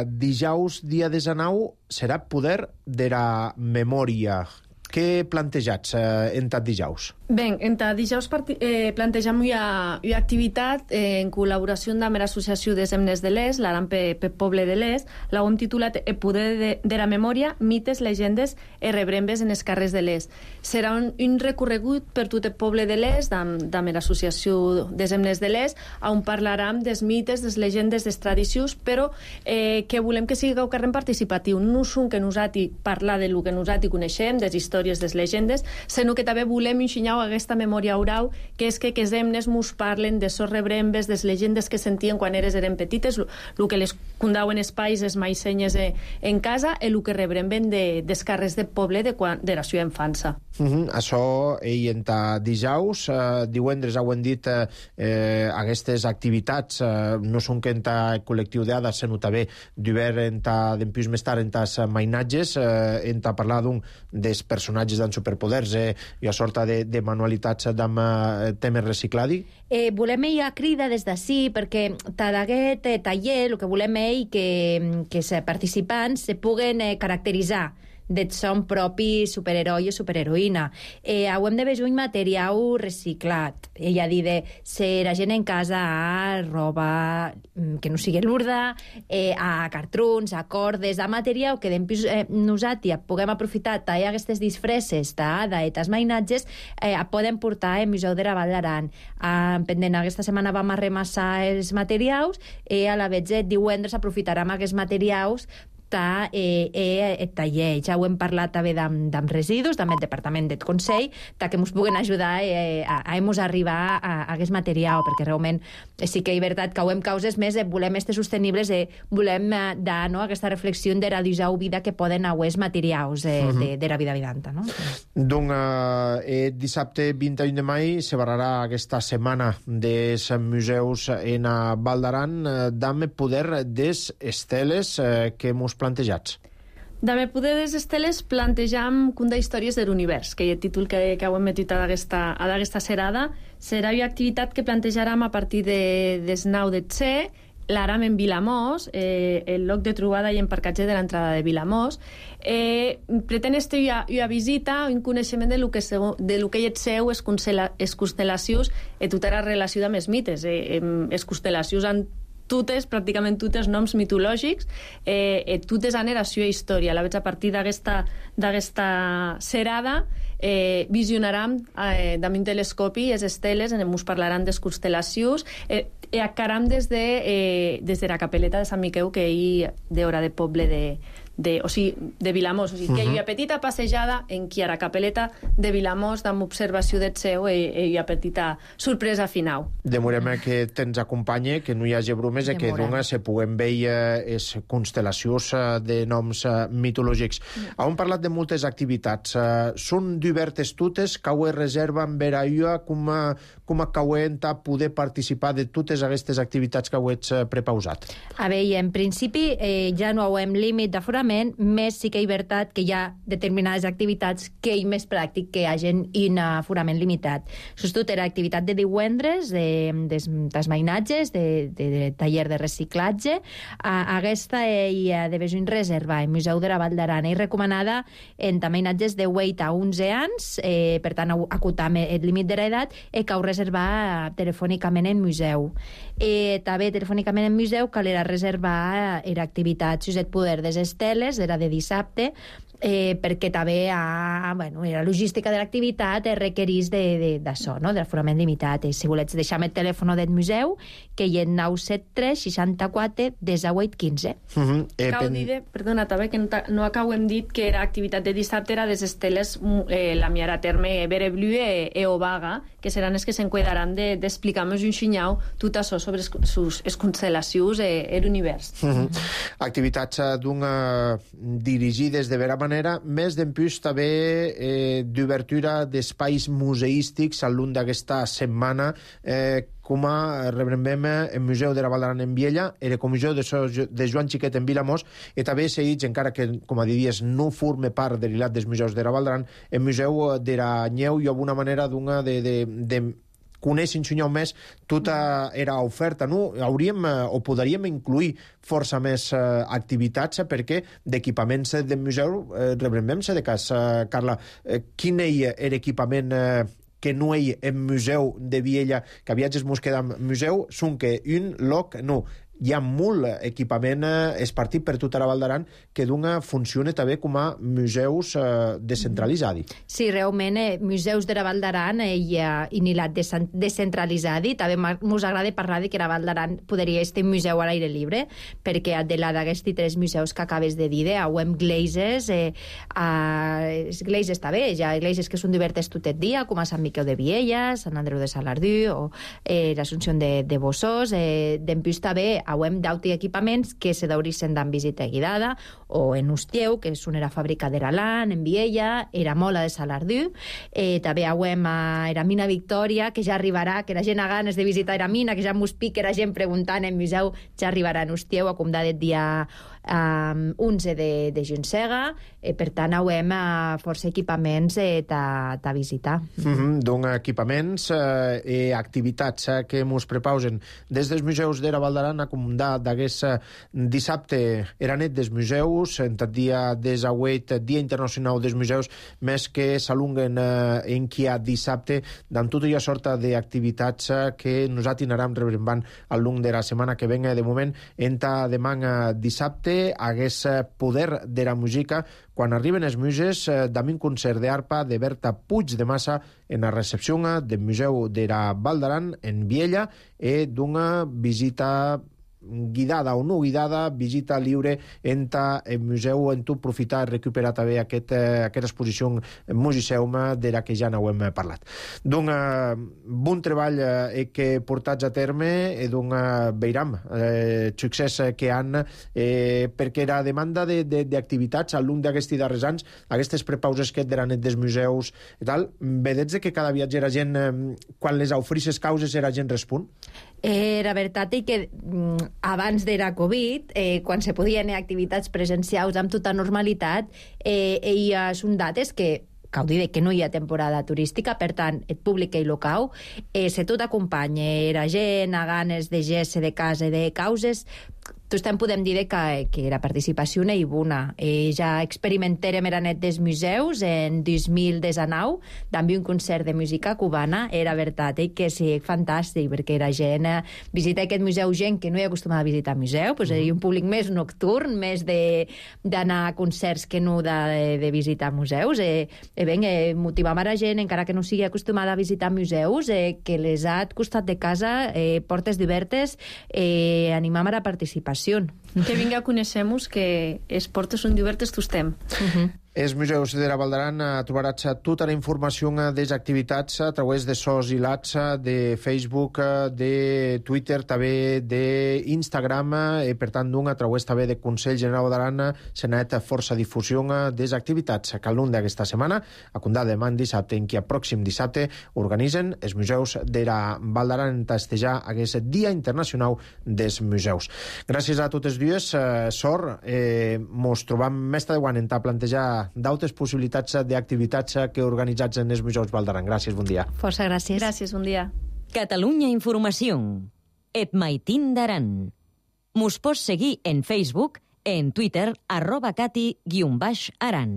dijous, dia 19, serà poder de la memòria. Què plantejats en tot dijous? Bé, en dijous plantegem una activitat en col·laboració amb l'Associació des Emnes de l'Est, l'Aran pel Poble de l'Est. L'hem titulat El poder de la memòria, mites, llegendes i rebrembes en els carrers de l'Est. Serà un recorregut per tot el poble de l'Est, amb l'Associació des Emnes de l'Est, on parlarem dels mites, des llegendes, des tradicions, però que volem que sigui un carrer participatiu. No som que nosaltres parlar de lo que nosaltres coneixem, des històries, des llegendes, sinó que també volem ensenyar aquesta memòria oral, que és que els emnes mos parlen de sos rebrembes, des llegendes que sentien quan eren petites, el que les condauen els pais, les maisenyes en casa, i el que rebremben dels carrers del poble de la seva infància. Això, en dijous, divendres ho hem dit, aquestes activitats no són que en el col·lectiu d'ADA, sinó també d'obert d'empús més tard en els mainatges, en parlar d'un dels personatges d'en superpoders i a sorta de manualitats amb temes recicladi? Volem ell a crida des d'ací, perquè d'aquest taller el que volem ell que els participants se puguen caracteritzar de son propi superheroi o superheroïna. Hauem de veure un material reciclat. Ella dit de ser la gent en casa a roba que no sigui lurda, a cartrons, a cordes, a material que nosaltres puguem aprofitar aquestes disfresses d'aquestes mainatges, poden portar al Museu de la Vall d'Aran. Pendent aquesta setmana vam arremassar els materials i a la vegada divendres aprofitarem aquests materials taller. Ja ho hem parlat també amb residus, també el Departament del Consell, que ens puguen ajudar a arribar a aquest material, perquè realment sí que és veritat que ho hem causes més, volem estar sostenibles, volem dar aquesta reflexió de realitzar vida que poden aquests materials de la vida vidanta. Donc, dissabte 21 de mai se barrarà aquesta setmana dels museus en Val d'Aran d'ame poder des esteles que mos plantejats. D'haver poder des esteles plantejam Cunda històries de l'univers, que és el títol que heu emetit a d'aquesta serada. Serà una activitat que plantejarem a partir des 9 de tse, l'aram en Vilamós, el lloc de trobada i emparcatge de l'entrada de Vilamós. Pretén estar una visita, un coneixement de lo que hi et seu, es constel·lacions i tota la relació amb els mites. Es constel·lacions han pràcticament totes noms mitològics, totes han era seva història. A la vegada, a partir d'aquesta serada, visionarem amb un telescopi les esteles, ens parlaran de les constel·lacions, i acaram des de la capeleta de Sant Miquel, que hi d'hora de poble de Vilamós. O sigui, que hi ha una petita passejada en qui a la capeleta de Vilamós amb observació del seu i una petita sorpresa final. Demorem que te'ns acompanye, que no hi hagi bromes i que d'una se puguem veure les constel·lacions de noms mitològics. Hem parlat de moltes activitats. Són diverses totes, cau reserven per a com acauent a poder participar de totes aquestes activitats que heu prepausat? A veure, en principi ja no hem límit d'aforament, més sí que és veritat que hi ha determinades activitats que és més pràctic que hi hagi un aforament limitat. Sobretot era activitat de divendres, dels mainatges, de taller de reciclatge. Aquesta hi ha de veure una reserva al Museu de la Vall d'Aran. És recomanada entre mainatges de 8 a 11 anys, per tant, acotar el límit de l'edat, i cal reservar telefònicament en museu. També telefònicament en museu cal reservar l'activitat Suset Poder des esteles, era de dissabte, perquè també la logística de l'activitat requereix d'això, de l'aforament limitat. Si volets deixar el telèfon del museu, que hi és 973 64 18 15. Cal dir, perdona, també que no acabem dit que l'activitat de dissabte era des esteles la miara terme Bereblu e Obaga, que seran els que s'enquadraran d'explicar-nos un xinyau tot això sobre les constel·lacions i l'univers. Activitats dirigides de vera manera, més d'en plus també d'obertura d'espais museístics al llarg d'aquesta setmana, com rebrem el Museu de la Vall d'Aran en Viella, el Comissió de Joan Xiquet en Vilamós, i també s'ha dit, encara que, com a diries, no forma part de l'hilat dels museus de la Vall d'Aran, el Museu de la Nyeu i alguna manera de conèixer un xunyau més tota era oferta, no? Hauríem o podríem incluir força més activitats, perquè d'equipaments del museu rebrem-se de cas, Carla. Quin és l'equipament que no hi ha en museu de Viella, que viatges mos queda en museu, són que un lloc no. Hi ha molt equipament espartit per tota la Vall d'Aran que funciona també com a museus descentralitzats. Sí, realment, museus de la Vall d'Aran hi ha inilat descentralitzat. També ens agrada parlar que la Vall d'Aran podria ser un museu a l'aire lliure, perquè de d'aquests 3 museus que acabes de dir, ho hem gleises, gleises també, hi ha gleises que són diverses tot el dia, com a Sant Miquel de Viella, Sant Andreu de Salardú, o l'Assumpció de Bossós, d'en plus també hauem d'auti equipaments que se daurisen d'en visita guidada, o en Ustieu, que és una fàbrica d'Eralan, en Viella, era Mola de Salardú, també hauem a era Mina Victòria, que ja arribarà, que la gent ha ganes de visitar era Mina, que ja mos pica la gent preguntant en museu, ja arribarà en Ustieu, a comdat dia 11 de juncega, per tant hauem força equipaments ta visitar. Doncs equipaments i activitats que mos prepausen des dels museus d'Era Valdaran a comandar d'aguest dissabte era net dels museus, en tot dia des auet Dia Internacional dels Museus, més que s'alunguen en qui ha dissabte d'en tota una sorta d'activitats que nosaltres anirem rebrembant al long de la setmana que venga. De moment, enta demà dissabte hagués poder de la música quan arriben els muses d'un concert d'arpa de Berta Puig de Massa en la recepció del Museu d'Era Valdaran en Viella i d'una visita guidada o no guidada, visita lliure en el museu, en tu aprofitar i recuperar també aquesta exposició musiceuma de la que ja n'hem parlat. D'un bon treball que portats a terme i d'un veiram succés que han perquè la demanda d'activitats al llarg d'aquests darrers anys, aquestes prepauses que de la net dels museus i tal, vedets que cada viatge la gent, quan les ofrisses causes, la gent respon? La veritat és que abans de la Covid, quan se podien activitats presencials amb tota normalitat, són dates que cal dir que no hi ha temporada turística, per tant, el públic i local, se tot acompanya, la gent a ganes de gest de casa i de causes, tots podem dir que la participació no hi bona. Ja experimentarem era net dels museus en 2019, també un concert de música cubana, era veritat que sí, fantàstic, perquè la gent visita aquest museu, gent que no hi ha acostumat a visitar museu, doncs hi ha un públic més nocturn, més d'anar a concerts que no de visitar museus. Motivam a la gent, encara que no sigui acostumada a visitar museus, que les ha al costat de casa, portes obertes, animam a la participació. Que vinga, coneixem-nos, que els portes són obertes, tu estem. Els museus d'Era Valdaran trobaràs tota la informació de les activitats a través de sos i lats, de Facebook, de Twitter, també d'Instagram, i per tant a través també de Consell General d'Aran s'ha anat força difusió de les activitats que al llarg d'aquesta setmana, a comptar demà dissabte, en qui a pròxim dissabte organitzen els museus d'Era Valdaran en festejar aquest Dia Internacional dels Museus. Gràcies a totes dues, Sor, mos trobam més tardà en plantejar d'altres possibilitats d'activitats que organitzats en els museus Valdaran. Gràcies, bon dia. Força gràcies. Gràcies, bon dia. Catalunya Informació. Et maitin d'aran. Mos pots seguir en Facebook, en Twitter, @cati_aran.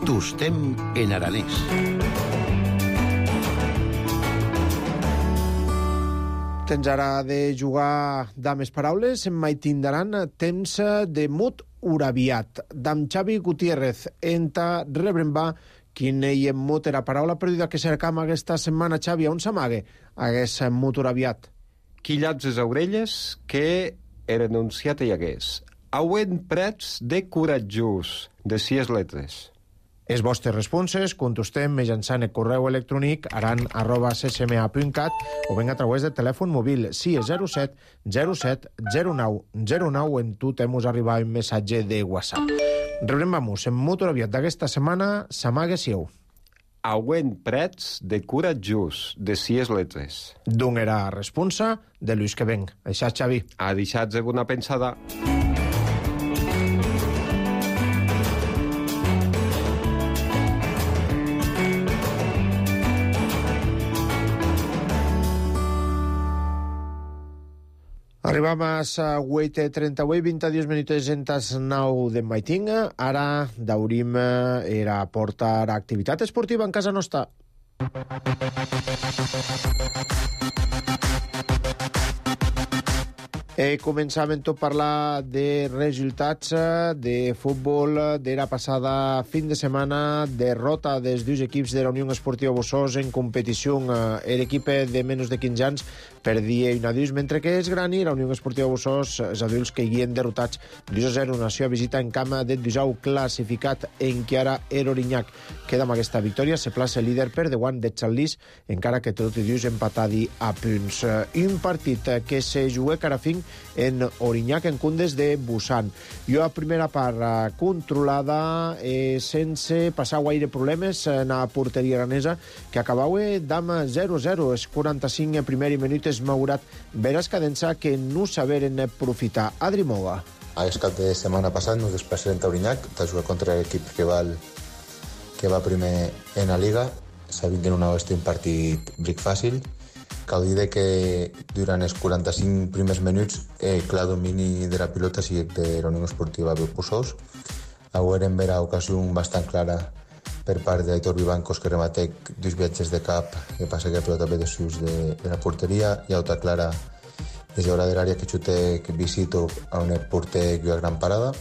Tostem en aranès. Tens ara de jugar dames paraules, en maitin d'aran, temps de mut uraviat. D'am Xavi Gutiérrez, enta rebrembar quin ei en mut era paraula perduda que cercam aquesta setmana, Xavi, on s'amague hagués mut uraviat? Qui llaps les orelles que era enunciat hi hagués. Auen prets de coratjós, de 6 lletres. Els vostres responses contestem mitjançant el correu electrònic aran@ccma.cat o ben a través del telèfon mòbil 607 07 09 09 en tu t'hemos arribat un missatge de WhatsApp. Rebrem-vamos en motor aviat d'aquesta setmana, s'amague sieu. Auen prets de coratjós, de 6 lletres. D'on era responsa de Lluís que venc. Això, Xavi. A deixats de bona pensada. Arribam a 8:38, 22 minuts en tas 9 de maiting. Ara daurim era portar activitat esportiva en casa nostra. Començam a parlar de resultats de futbol de la passada fin de setmana, derrota dels dos equips de la Unió Esportiva Bossós en competició. L'equip de menys de 15 anys perdia 1-2, mentre que es Grani, la Unió Esportiva Bossós, els adults que hi han derrotats 2-0. Nació a visita en camp de Dusau, classificat en que ara Orinyac. Queda amb aquesta victòria, se plaça líder per davant de Xalís, encara que tot i dius empatadi a punts. Un partit que se juga carafing en Orinyac, en Cundes de Busan. Jo a primera part controlada, sense passar gaire problemes en la porteria aranesa, que acabava d'ama 0-0. Els 45 primers minuts Maurat veres cadença que no saberen aprofitar. Adri Moga. A cap de setmana passat nos desplaçarem a Orinyac de jugar contra l'equip que va primer en la Liga. Sabint que no va ser un partit bric fàcil. Cal dir que durant els 45 primers minuts clar domini de la pilota sigui de la Unió Esportiva Bossós. Haurem vera ocasió bastant clara per part d'Aitor Vivancos, que rematec dos viatges de cap que passa que la pilota ve de sus de la porteria. Hi ha altra clara des de l'àrea que xute que visito a un porter que hi ha gran parada.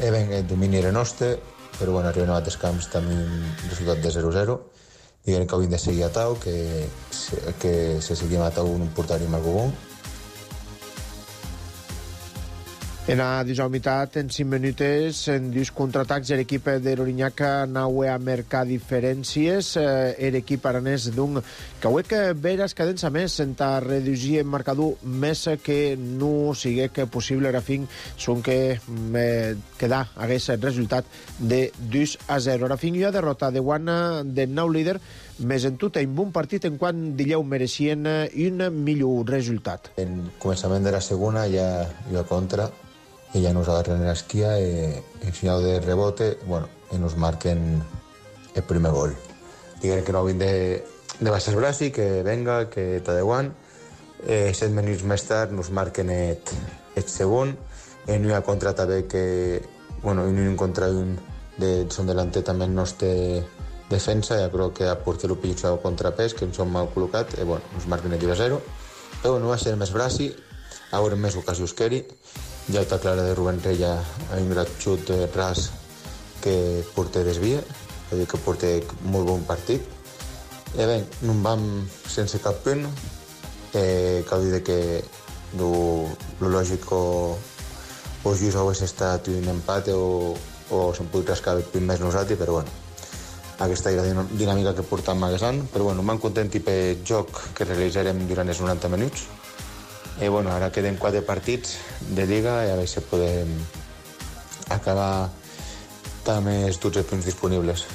El domini era nostre, però bueno, arribem a altres camps també un resultat de 0-0. Diguem que hauríem de seguir a Tau, que se seguim a Tau un portari amb algú bon. En la 19 meitat, en 5 minuts, en dos contraatacs, l'equip de l'Orinyac anava a marcar diferències. L'equip aranès d'un cauec veres cadença més, en reduir el marcador més que no sigui possible ara fin, són que quedar hagués el resultat de 2-0. Ara fin hi ha derrota de guana del nou líder, més en tot un bon partit en quan Dilleu mereixien un millor resultat. En començament de la segona ja hi ha contra, i ja nos agarren l'esquia en final de rebote, i nos marquen el primer gol. Diguem que no havien de baixar el braç i que venga, que està de guant. 7 minuts més tard nos marquen el segon. En una contra també que, un contra un de son delanter també el nostre defensa, ja crec que a porter ho pitjor contrapès, que ens som mal col·locat, nos marquen el 0-0. Però no va ser més braci, haurem més ocasions que ell. Ja està clara de Rubén Reya, un gran xut ras que porter desvia, vull dir que porter molt bon partit. No en vam sense cap punt. Cal dir que lo lògic o just hagués estat un empat o se'n podria rascar el punt més nosaltres, però aquesta era la dinàmica que portàvem magassant. Però m'han content pel joc que realitzarem durant els 90 minuts. Ara queden 4 partits de Liga i a veure si podem acabar amb tots els punts disponibles.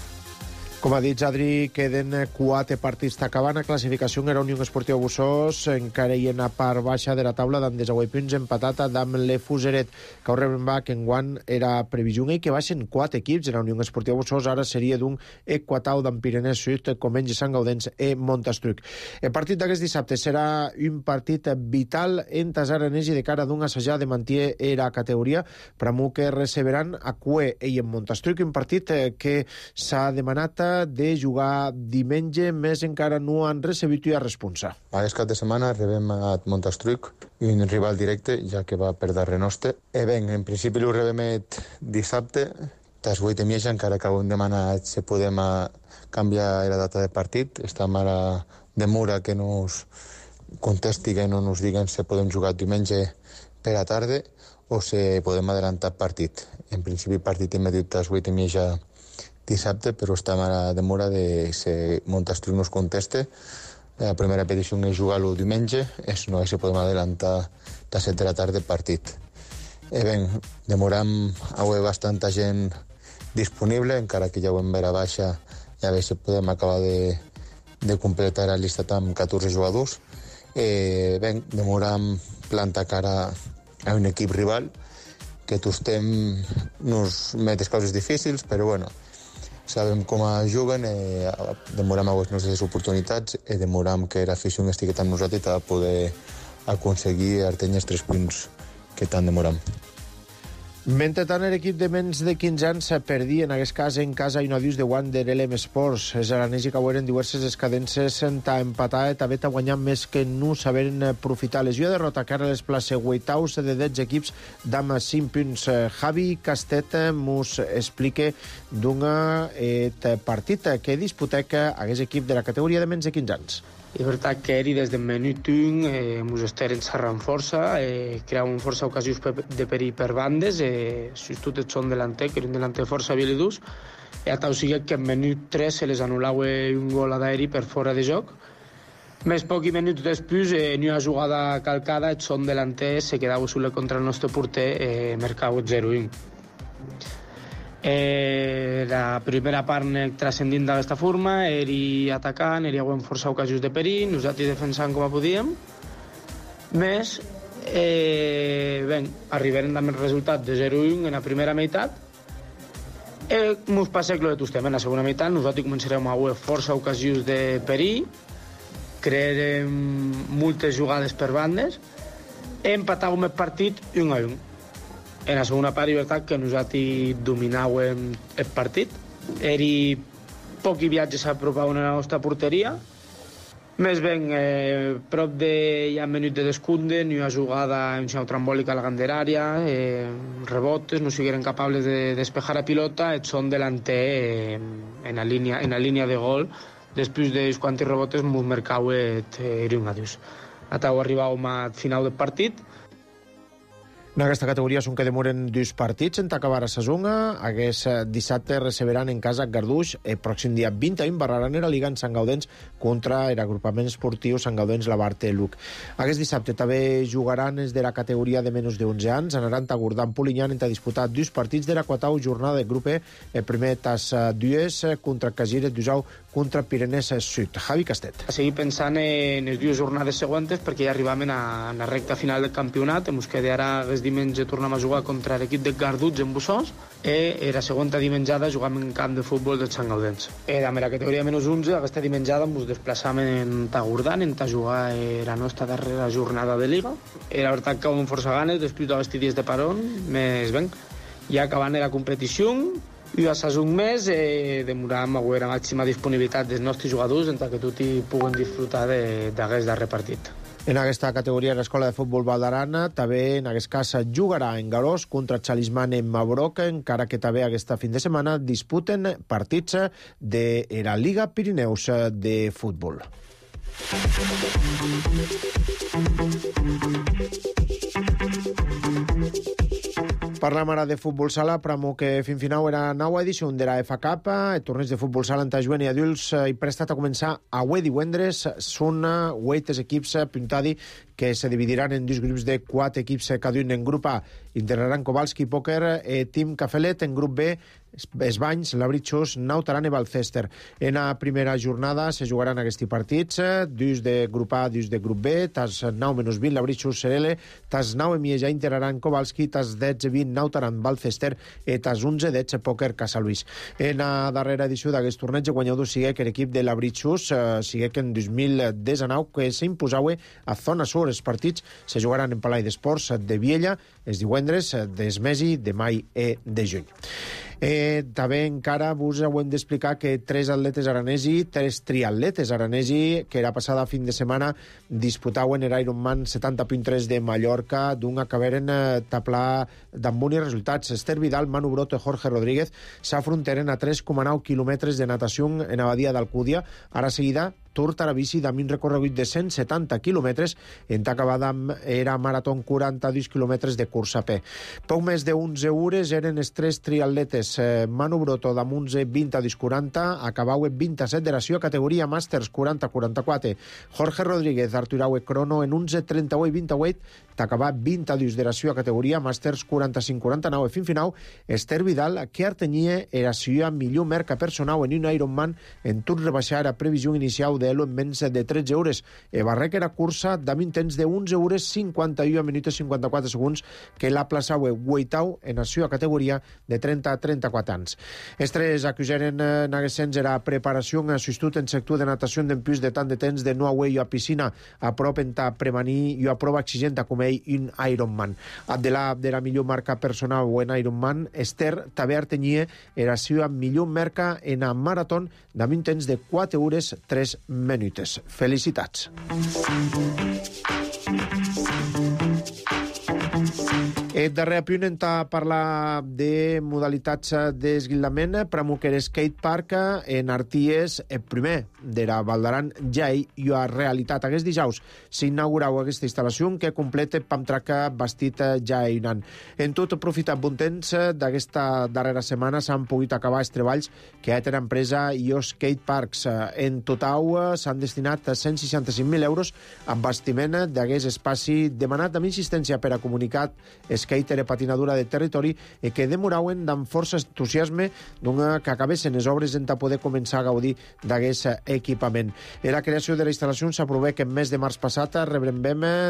Com ha dit Adri, queden 4 partits d'acabant. A classificació en la Unió Esportiva Bossós, encara hi ha una part baixa de la taula d'en 19 punts, empatat amb l'Efuseret, que ho rebem que enguany era previsió i que baixen 4 equips en la Unió Esportiva Bossós. Ara seria d'un Equatau d'en Pirinès Sud, Comengi, Sant Gaudens i Montastruc. El partit d'aquest dissabte serà un partit vital en Tasaranès i de cara d'un assajar de mantier la categoria, per a que receberan a Cue i en Montastruc, un partit que s'ha demanat de jugar diumenge, més encara no han recebit a responsa. Aquest cap de setmana rebem a Montastruc, un rival directe, ja que va per darrere nostre. En principi ho rebem dissabte, tas 8 i mitja, encara que hem demanat si podem canviar la data de partit. Estem ara de Mura que nos contesti, que no nos diguen si podem jugar diumenge per a tarda o si podem adelantar partit. En principi partit immediat tas 8 i mitja dissabte, però estem ara de Mura de si Montastruc nos conteste. La primera petició és jugar-lo diumenge, no és si podem adelantar a 7 de la tarda el partit. Demorem avui bastanta gent disponible, encara que ja ho hem vera baixa, i a veure si podem acabar de completar la llista amb 14 jugadors. Demorem plantar cara a un equip rival, que tots nos metes coses difícils, però sabem com juguen, demorem a les nostres oportunitats i demorem que l'afició estigui amb nosaltres per poder aconseguir artenys 3 punts que tant demorem. Mentrestant, l'equip de menys de 15 anys perdia en aquest cas en casa i no dius de Wander LM Sports. Els aranesi que haueren diverses escadences a empatar i també a guanyar més que no saberen aprofitar. Lesió de derrota que ara les plaça huitaus de 10 equips d'ama 5 punts. Javi Castet mos explica d'un partit que disputava aquest equip de la categoria de menys de 15 anys. És veritat que eri des del minut 1 ens esteren xerrant força, creàvem força ocasions de perill per bandes, sobretot el son delanter, que era un delanter força habilidós, i a tal sigui que en minut 3 se les anul·lava un gol d'aeri per fora de joc. Més poc i minuts després, en una jugada calcada, el son delanter se quedava solet contra el nostre porter, marcava 0-1. La primera part transcendint d'aquesta forma, eri atacant, eri havent força ocasions de perill, nosaltres defensant com a podíem. Més, arribaren amb el resultat de 0-1 en la primera meitat. Ens passa que tot estem en la segona meitat, nosaltres començarem a haver força ocasions de perill, crearem moltes jugades per bandes, empatàvem el partit 1-1. En la segona part, és veritat que nosaltres dominàvem el partit. Eri pocs viatges s'apropaven a la nostra porteria. Més ben, prop de ja minut de descompte, ni una jugada en una trambòlica a la ganderària, rebotes, no sigueren capables de despejar la pilota, et són delanter en la línia de gol. Després dels quants rebotes ens marcava un adiós. Atau arribàvem al final del partit. En aquesta categoria són que demoren 2 partits en acabar a Sasunga. Aquest dissabte receberan en casa Garduix. El pròxim dia 21 barraran la Liga en Sant Gaudens contra l'agrupament esportiu Sant Gaudens Labarte Luc. Aquest dissabte també jugaran els de la categoria de menys de 11 anys. Anaran a Gordà Polinyan a disputar 2 partits de la quatau jornada de grup E. El primer tas Dues contra Casires d'Usau contra Pirenès Sud. Javi Castet. A seguir pensant en les 2 jornades següents perquè ja arribem a la recta final del campionat. Ens quedarà diumenge tornem a jugar contra l'equip de Garduig en Bussons i la segona dimenjada juguem en camp de futbol del Sant Gaudens. Amb la categoria menys 11, aquesta dimenjada ens desplaçàvem en Tagurdan a jugar la nostra darrera jornada de Liga. La veritat que amb força ganes, després d'aquests dies de parón, més ben, ja acabant la competició, i a un mes demoràvem a veure la màxima disponibilitat dels nostres jugadors perquè tots puguen disfrutar d'aquest darrer partit. En aquesta categoria l'escola de futbol Valdarana també en aquest cas jugarà en Garós contra Chalisman en Mabroc, encara que també aquesta fin de setmana disputen partits de la Liga Pirineus de futbol. Parlam ara de futbol sala, però que fins final era nova edició de la FA Cup. El torneig de futbol sala entre jovent i adults i prestat a començar avui divendres. Són 8 equips puntadi que se dividiran en 2 grups de 4 equips cada un. En grup A integraran Kowalski Poker, Team Cafelet. En grup B, Esbanys, Labritxos, Nautaran i Balcester. En la primera jornada se jugaran aquests partits, 2 de grup A, 2 de grup B, tas 9-20, Labritxos, Serele, tas 9 Mieja, integraran Kowalski, tas 10-20, Nautaran, Balcester, i tas 11-10, Poker, Casaluís. En la darrera edició d'aquest torneig, guanyador sigue que l'equip de Labritxos, sigue que en 2019, que s'imposava a Zona Sur. Els partits se jugaran en Palai d'Esports de Viella, els divendres des mesi de mai i de juny. També encara vos ho hem d'explicar que 3 atletes aranesi, 3 triatletes aranesi, que era passada fin de setmana disputaven l'Ironman 70.3 de Mallorca, d'un acabaren taplar d'amb bons resultats. Esther Vidal, Manu Broto i Jorge Rodríguez s'afrontaren a 3,9 quilòmetres de natació en la badia d'Alcúdia. Ara seguida Tour Tarabici amb un recorregut de 170 quilòmetres en acabada era marató 42 quilòmetres de cursa a peu. Poc més de 11 hores eren els 3 triatletes. Manu Broto amb 11:20 a 10:40, acabau en 27 de la seva categoria Màsters 40-44. Jorge Rodríguez Arturaue crono en 11:38 i 28, t'acabà 22 de la seva categoria Màsters 45-49. Fin final, Esther Vidal, que artenia era seva millor marca personal en un Ironman en tot rebaixar a previsió inicial modelo en menys de 13 hores. Barrec era cursa amb temps de 11 hores 51 minuts 54 segons que la plaçava Guaitau en la seva categoria de 30 a 34 anys. Els tres acusaren en aquest sens era preparació en assistit en sector de natació d'empús de tant de temps de no away a piscina a prop en ta premaní i a prova exigenta com ell un Ironman. Abdelà de la millor marca personal o en Ironman, Esther també artenyia era seva millor marca en a marató amb un temps de 4 hores 3 minuts. Felicitats. El darrer apunt en parlar de modalitats d'esguildament per a Muquer Skate Park en Arties, el primer de la Val d'Aran ja hi ha realitat. Aquest dijous s'inaugurau aquesta instal·lació que completa Pamtrack bastit ja hi anant. En tot, aprofitat bon temps d'aquesta darrera setmana s'han pogut acabar els treballs que ha tenen empresa IO Skate Parks. En total s'han destinat 165.000 euros en bastiment d'aquest espaci demanat amb insistència per a comunicat skater i patinadura de territori i que demorauen amb força entusiasme que acabessin les obres en poder començar a gaudir d'aquest equipament. La creació de la instal·lació s'aprovà que en mes de març passat rebrem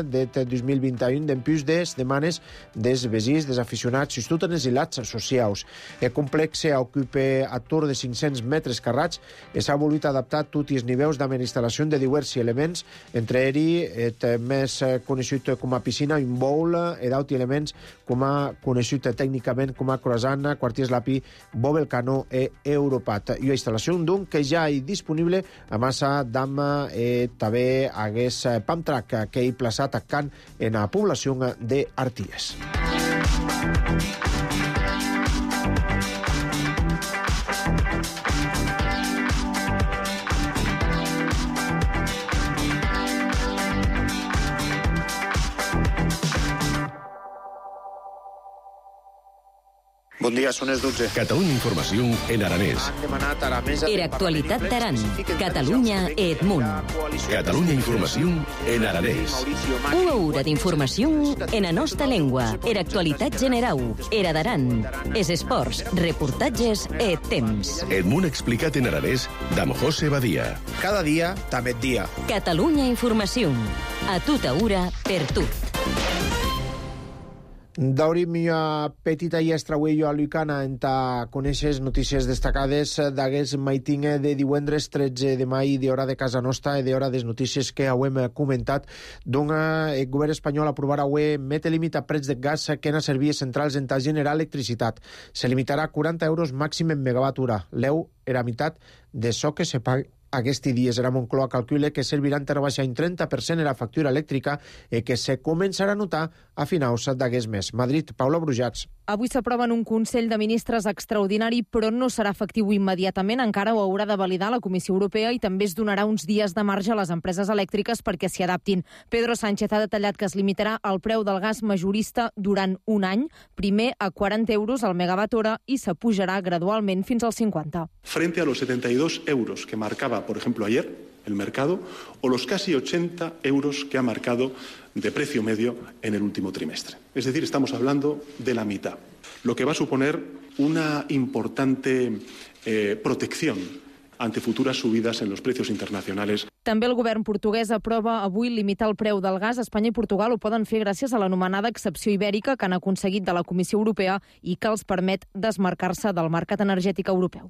de 2021 d'empús des demanes dels veïns, dels aficionats i tots els hilats socials. El complex ocupa a tour de 500 metres carrats i s'ha volut adaptar tots els nivells de instal·lació de diversos elements, entre ells el més conegut com a piscina, un bowl, i d'altres elements com a conegut tècnicament com a croissant, quartiers Lapi, Bobelcano i Europat. I la instal·lació d'un que ja hi disponible a massa d'ama també hagués Pamtrack que hi plaçat a Can en la població d'Arties. Bon dia, són les 12. Catalunya Informació en aranès. Era actualitat d'Aran. Catalunya et Munt. Catalunya Informació en aranès. Una hora d'informació en la nostra llengua. Era actualitat generau. Era d'Aran. És esports, reportatges et temps. El Munt explicat en aranès d'Am José Badia. Cada dia, també dia. Catalunya Informació. A tota hora, per tu. Daurim una petita i estrauello a Lucana en ta coneixes notícies destacades d'aquest maiting de divendres 13 de mai d'hora de casa nostra i d'hora des notícies que hem comentat. El govern espanyol aprovarà avui mete límit a preus de gas que en servies centrals en ta generar electricitat. Se limitarà a 40 euros màxim en megawatt hora. L'eu era meitat de so que se paga. Aquest dies era Moncloa calcula que serviran per baixar un 30% en la factura elèctrica i que se començarà a notar a finals d'aquest mes. Madrid, Paula Brujats. Avui s'aprova en un Consell de Ministres extraordinari, però no serà efectiu immediatament. Encara ho haurà de validar la Comissió Europea i també es donarà uns dies de marge a les empreses elèctriques perquè s'hi adaptin. Pedro Sánchez ha detallat que es limitarà el preu del gas majorista durant un any, primer a 40 euros al megawatt hora i s'apujarà gradualment fins als 50. Frente a los 72 euros que marcaba, por ejemplo, ayer el mercado, o los casi 80 euros que ha marcado de precio medio en el último trimestre. Es decir, estamos hablando de la mitad, lo que va a suponer una importante protección ante futuras subidas en los precios internacionales. També el govern portuguès aprova avui limitar el preu del gas. Espanya i Portugal ho poden fer gràcies a l'anomenada excepció ibèrica que han aconseguit de la Comissió Europea i que els permet desmarcar-se del mercat energètic europeu.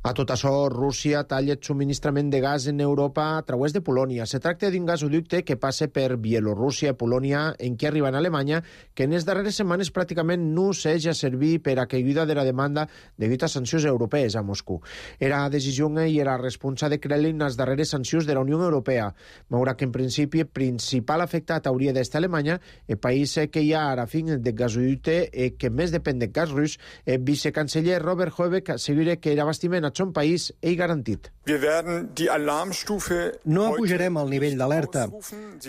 A tot això, Rússia talla el subministrament de gas en Europa a través de Polònia. Se tracta d'un gasoducte que passa per Bielorússia i Polònia, en què arriba en Alemanya, que en les darreres setmanes pràcticament no s'ha servir per a caiguda de la demanda degut a sancions europees a Moscou. Era decisió i era responsa de Kremlin les darreres sancions de la Unió Europea. Veurà que en principi el principal afectat hauria d'estar Alemanya, el país que hi ha ara fin de gasoducte que més depèn del gas rus. El vicecanceller Robert Habeck assegura que l'abastiment a son país és garantit. No apujarem el nivell d'alerta.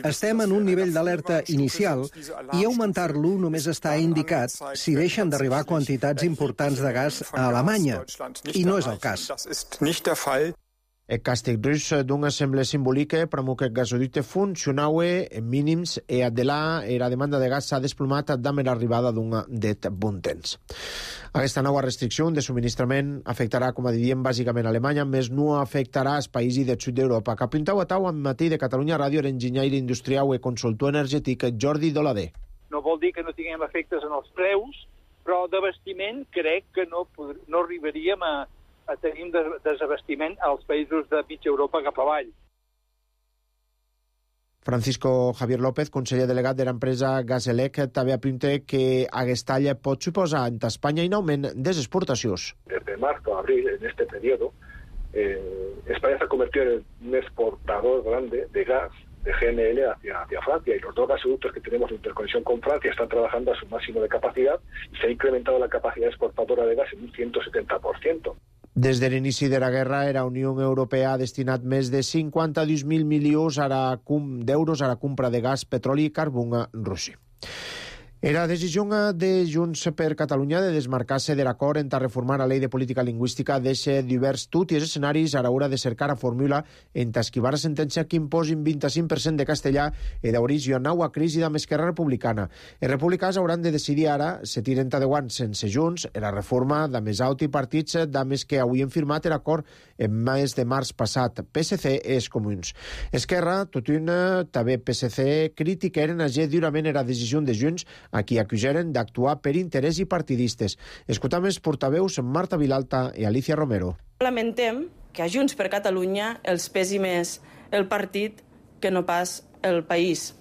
Estem en un nivell d'alerta inicial i augmentar-lo només està indicat si deixen d'arribar quantitats importants de gas a Alemanya. I no és el cas. El càstig rus d'un assemble simbolique promou que el gasoducte funcionaue en mínims e de là la demanda de gas s'ha desplomat damb l'arribada d'un det bon temps. Aquesta nova restricció de subministrament afectarà, com a diem, bàsicament Alemanya, més no afectarà els països del sud d'Europa. Que apuntau a tau amb matí de Catalunya Ràdio l'enginyer industrial i consultor energètic Jordi Dolader. No vol dir que no tinguem efectes en els preus, però d'abastiment crec que no arribaríem a tenir un desabastiment als països de mitja Europa cap avall. Francisco Javier López, conseller delegat de l'empresa Gaselec, també apunta que aquesta talla pot suposar en Espanya un augment de les exportacions. Desde marzo a abril, en este periodo, España se ha convertido en un exportador grande de gas de GNL hacia Francia, y los dos gasoductos que tenemos de interconexión con Francia están trabajando a su máximo de capacidad y se ha incrementado la capacidad exportadora de gas en un 170%. Des de l'inici de la guerra, la Unió Europea ha destinat més de 52.000 milions d'euros a la compra de gas, petroli i carbó a Rússia. La decisió de Junts per Catalunya de desmarcar-se de l'acord en reformar la llei de política lingüística deixa divers tots els escenaris a l'hora de cercar la fórmula en esquivar la sentència que imposin 25% de castellà i d'origen nova crisi amb Esquerra Republicana. Els republicans hauran de decidir ara se tiren de guant sense Junts la reforma de més alt i partits de més que avui han firmat l'acord en mes de març passat, PSC i els comuns. Esquerra, tot una, també PSC, critiqueren durament la decisió de Junts a qui acusaren d'actuar per interès i partidistes. Escoltam els portaveus Marta Vilalta i Alicia Romero. Lamentem que a Junts per Catalunya els pesi més el partit que no pas el país.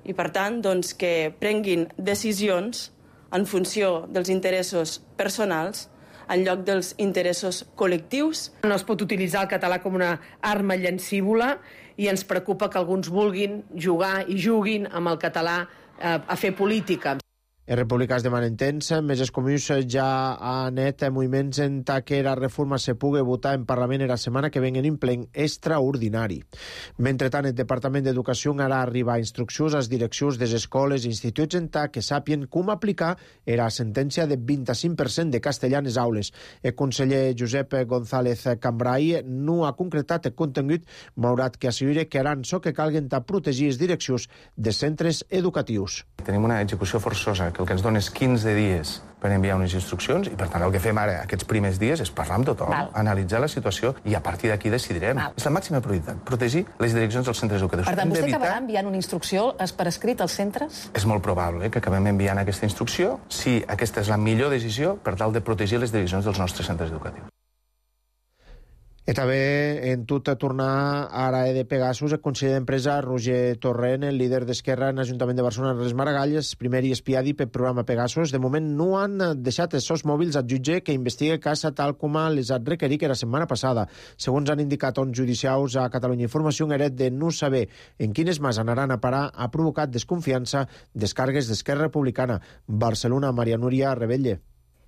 I, per tant, que prenguin decisions en funció dels interessos personals en lloc dels interessos col·lectius. No es pot utilitzar el català com una arma llancívola i ens preocupa que alguns vulguin jugar i juguin amb el català a fer política. Els republicans demanen temps, més els comuns ja han net moviments en que la reforma se pugui votar en Parlament la setmana que venguen en plen extraordinari. Mentrestant, el Departament d'Educació harà arribar instruccions a les direccions de les escoles i instituts en que sàpien com aplicar la sentència de 25% de castellà en les aules. El conseller Josep González Cambrai no ha concretat el contingut, malgrat que assegura que haran so que calguen a protegir les direccions de centres educatius. Tenim una execució forçosa que el que ens dona és 15 dies per enviar unes instruccions i, per tant, el que fem ara aquests primers dies és parlar amb tothom, analitzar la situació i a partir d'aquí decidirem. És la màxima prioritat, protegir les direccions dels centres educatius. Per tant, vostè acabarà enviant una instrucció per escrit als centres? És molt probable que acabem enviant aquesta instrucció si aquesta és la millor decisió per tal de protegir les direccions dels nostres centres educatius. I també en tot tornar a l'AE de Pegasus, el conseller d'Empresa Roger Torrent, el líder d'Esquerra en l'Ajuntament de Barcelona, Ernest Maragall, el primer i espiadi pel programa Pegasus. De moment no han deixat els seus mòbils al jutge que investiga el cas tal com les ha requerit la setmana passada. Segons han indicat uns judicials a Catalunya Informació, heret de no saber en quines mans anaran a parar ha provocat desconfiança descargues d'Esquerra Republicana. Barcelona, Maria Núria Rebelle.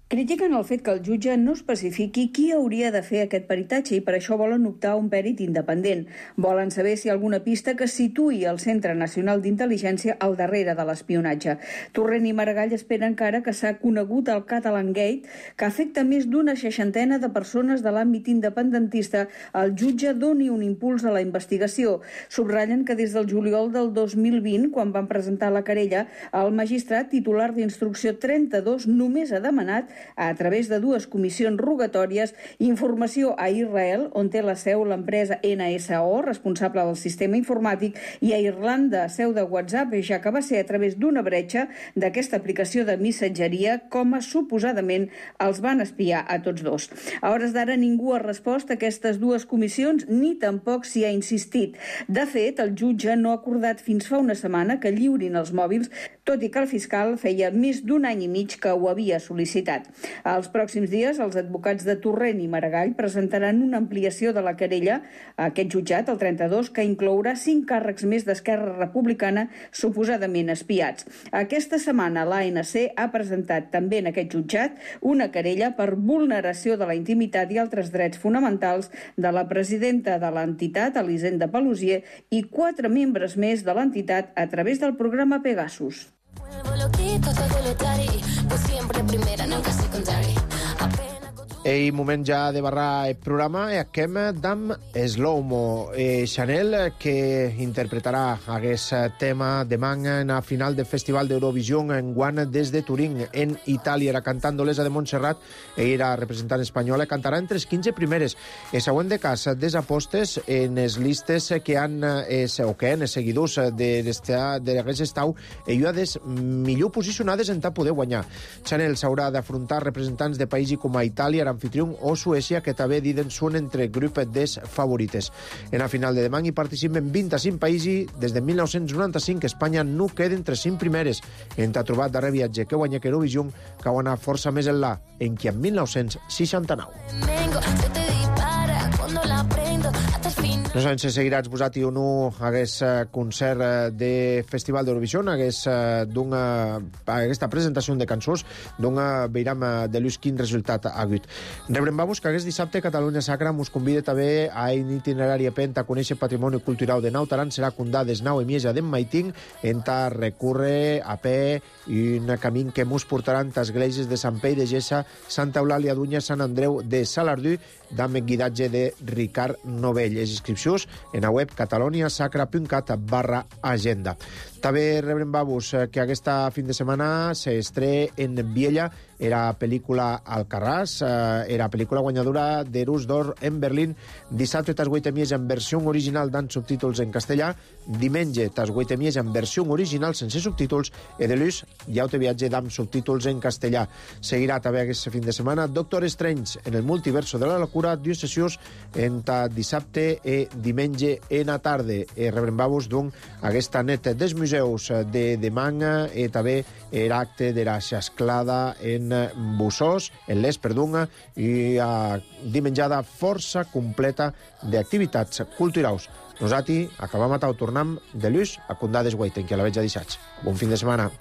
Critiquen el fet que el jutge no especifiqui qui hauria de fer aquest peritatge i per això volen optar a un pèrit independent. Volen saber si hi ha alguna pista que situï el Centre Nacional d'Intel·ligència al darrere de l'espionatge. Torrent i Maragall esperen que ara que s'ha conegut el Catalan Gate, que afecta més d'una 60 de persones de l'àmbit independentista, el jutge doni un impuls a la investigació. Subratllen que des del juliol del 2020, quan van presentar la querella, el magistrat titular d'instrucció 32 només ha demanat a través de 2 comissions rogatòries, informació a Israel, on té la seu l'empresa NSO, responsable del sistema informàtic, i a Irlanda, seu de WhatsApp, ja que va ser a través d'una bretxa d'aquesta aplicació de missatgeria com a suposadament els van espiar a tots dos. A hores d'ara ningú ha respost a aquestes 2 comissions ni tampoc s'hi ha insistit. De fet, el jutge no ha acordat fins fa una setmana que lliurin els mòbils, tot i que el fiscal feia més d'un any i mig que ho havia sol·licitat. Els pròxims dies, els advocats de Torrent i Maragall presentaran una ampliació de la querella a aquest jutjat, el 32, que inclourà 5 càrrecs més d'Esquerra Republicana suposadament espiats. Aquesta setmana l'ANC ha presentat també en aquest jutjat una querella per vulneració de la intimitat i altres drets fonamentals de la presidenta de l'entitat, Elisenda Paluzie, i 4 membres més de l'entitat a través del programa Pegasus. Ei moment ja de barrar el programa e acquem d'am Slow-Mo. Chanel, que interpretarà aquest tema demà en la final del Festival d'Eurovision en guant des de Turín, en Itàlia. Era cantant d'Olesa de Montserrat e era representant espanyola. Cantarà entre les 15 primeres. El següent de cas des apostes en les listes que han els seguidors d'aquest estau ayudades millor posicionades en poder guanyar. Chanel s'haurà d'afrontar representants de països com a Itàlia, l'anfitrió, o Suècia, que també diden són entre grup des favorites. En la final de demà hi participen 25 països. Des de 1995 Espanya no queda entre 5 primeres. En t'ha trobat darrer viatge que guanya que Eurovision, que ha anat força més enllà, en qui en 1969. No sabem si seguirà exposat o no aquest concert de Festival d'Eurovision, aquesta presentació de cançons, d'on veiram de l'ús quin resultat ha hagut. Rebrem-vos que aquest dissabte Catalunya Sacra mos convida també a un itinerari a Pent a conèixer patrimoni cultural de Nautaran. Serà Condades, Nau i Mieja d'en Maiting, en ta recórrer a peu un camí que mos portarà a esglésies de Sant Pei de Gessa, Santa Eulàlia d'Unya, Sant Andreu de Salardú, amb guidatge de Ricard Novell. Les inscripcions en la web cataloniasacra.cat/agenda. També rebrem-vos que aquesta fin de setmana s'estrena en Viella era pel·lícula Alcarràs, era pel·lícula guanyadora d'Erus d'Or en Berlín. Dissabte tas 8 mies en versió original amb subtítols en castellà, diumenge tas 8 mies en versió original sense subtítols i de l'ús ja ho té viatge amb subtítols en castellà. Seguirà també aquest fin de setmana Doctor Strange en el multiverso de la locura, 2 sessions entre dissabte i diumenge en la tarda. Rebrem-vos doncs aquesta neta dels museus de demà i també l'acte de la xasclada en Bussós, en l'Es, perdona, i dimenjada força completa d'activitats culturals. Nosaltres acabam a tornar de l'ús a Condades Guaiten, que a la veig a deixats. Bon fin de setmana.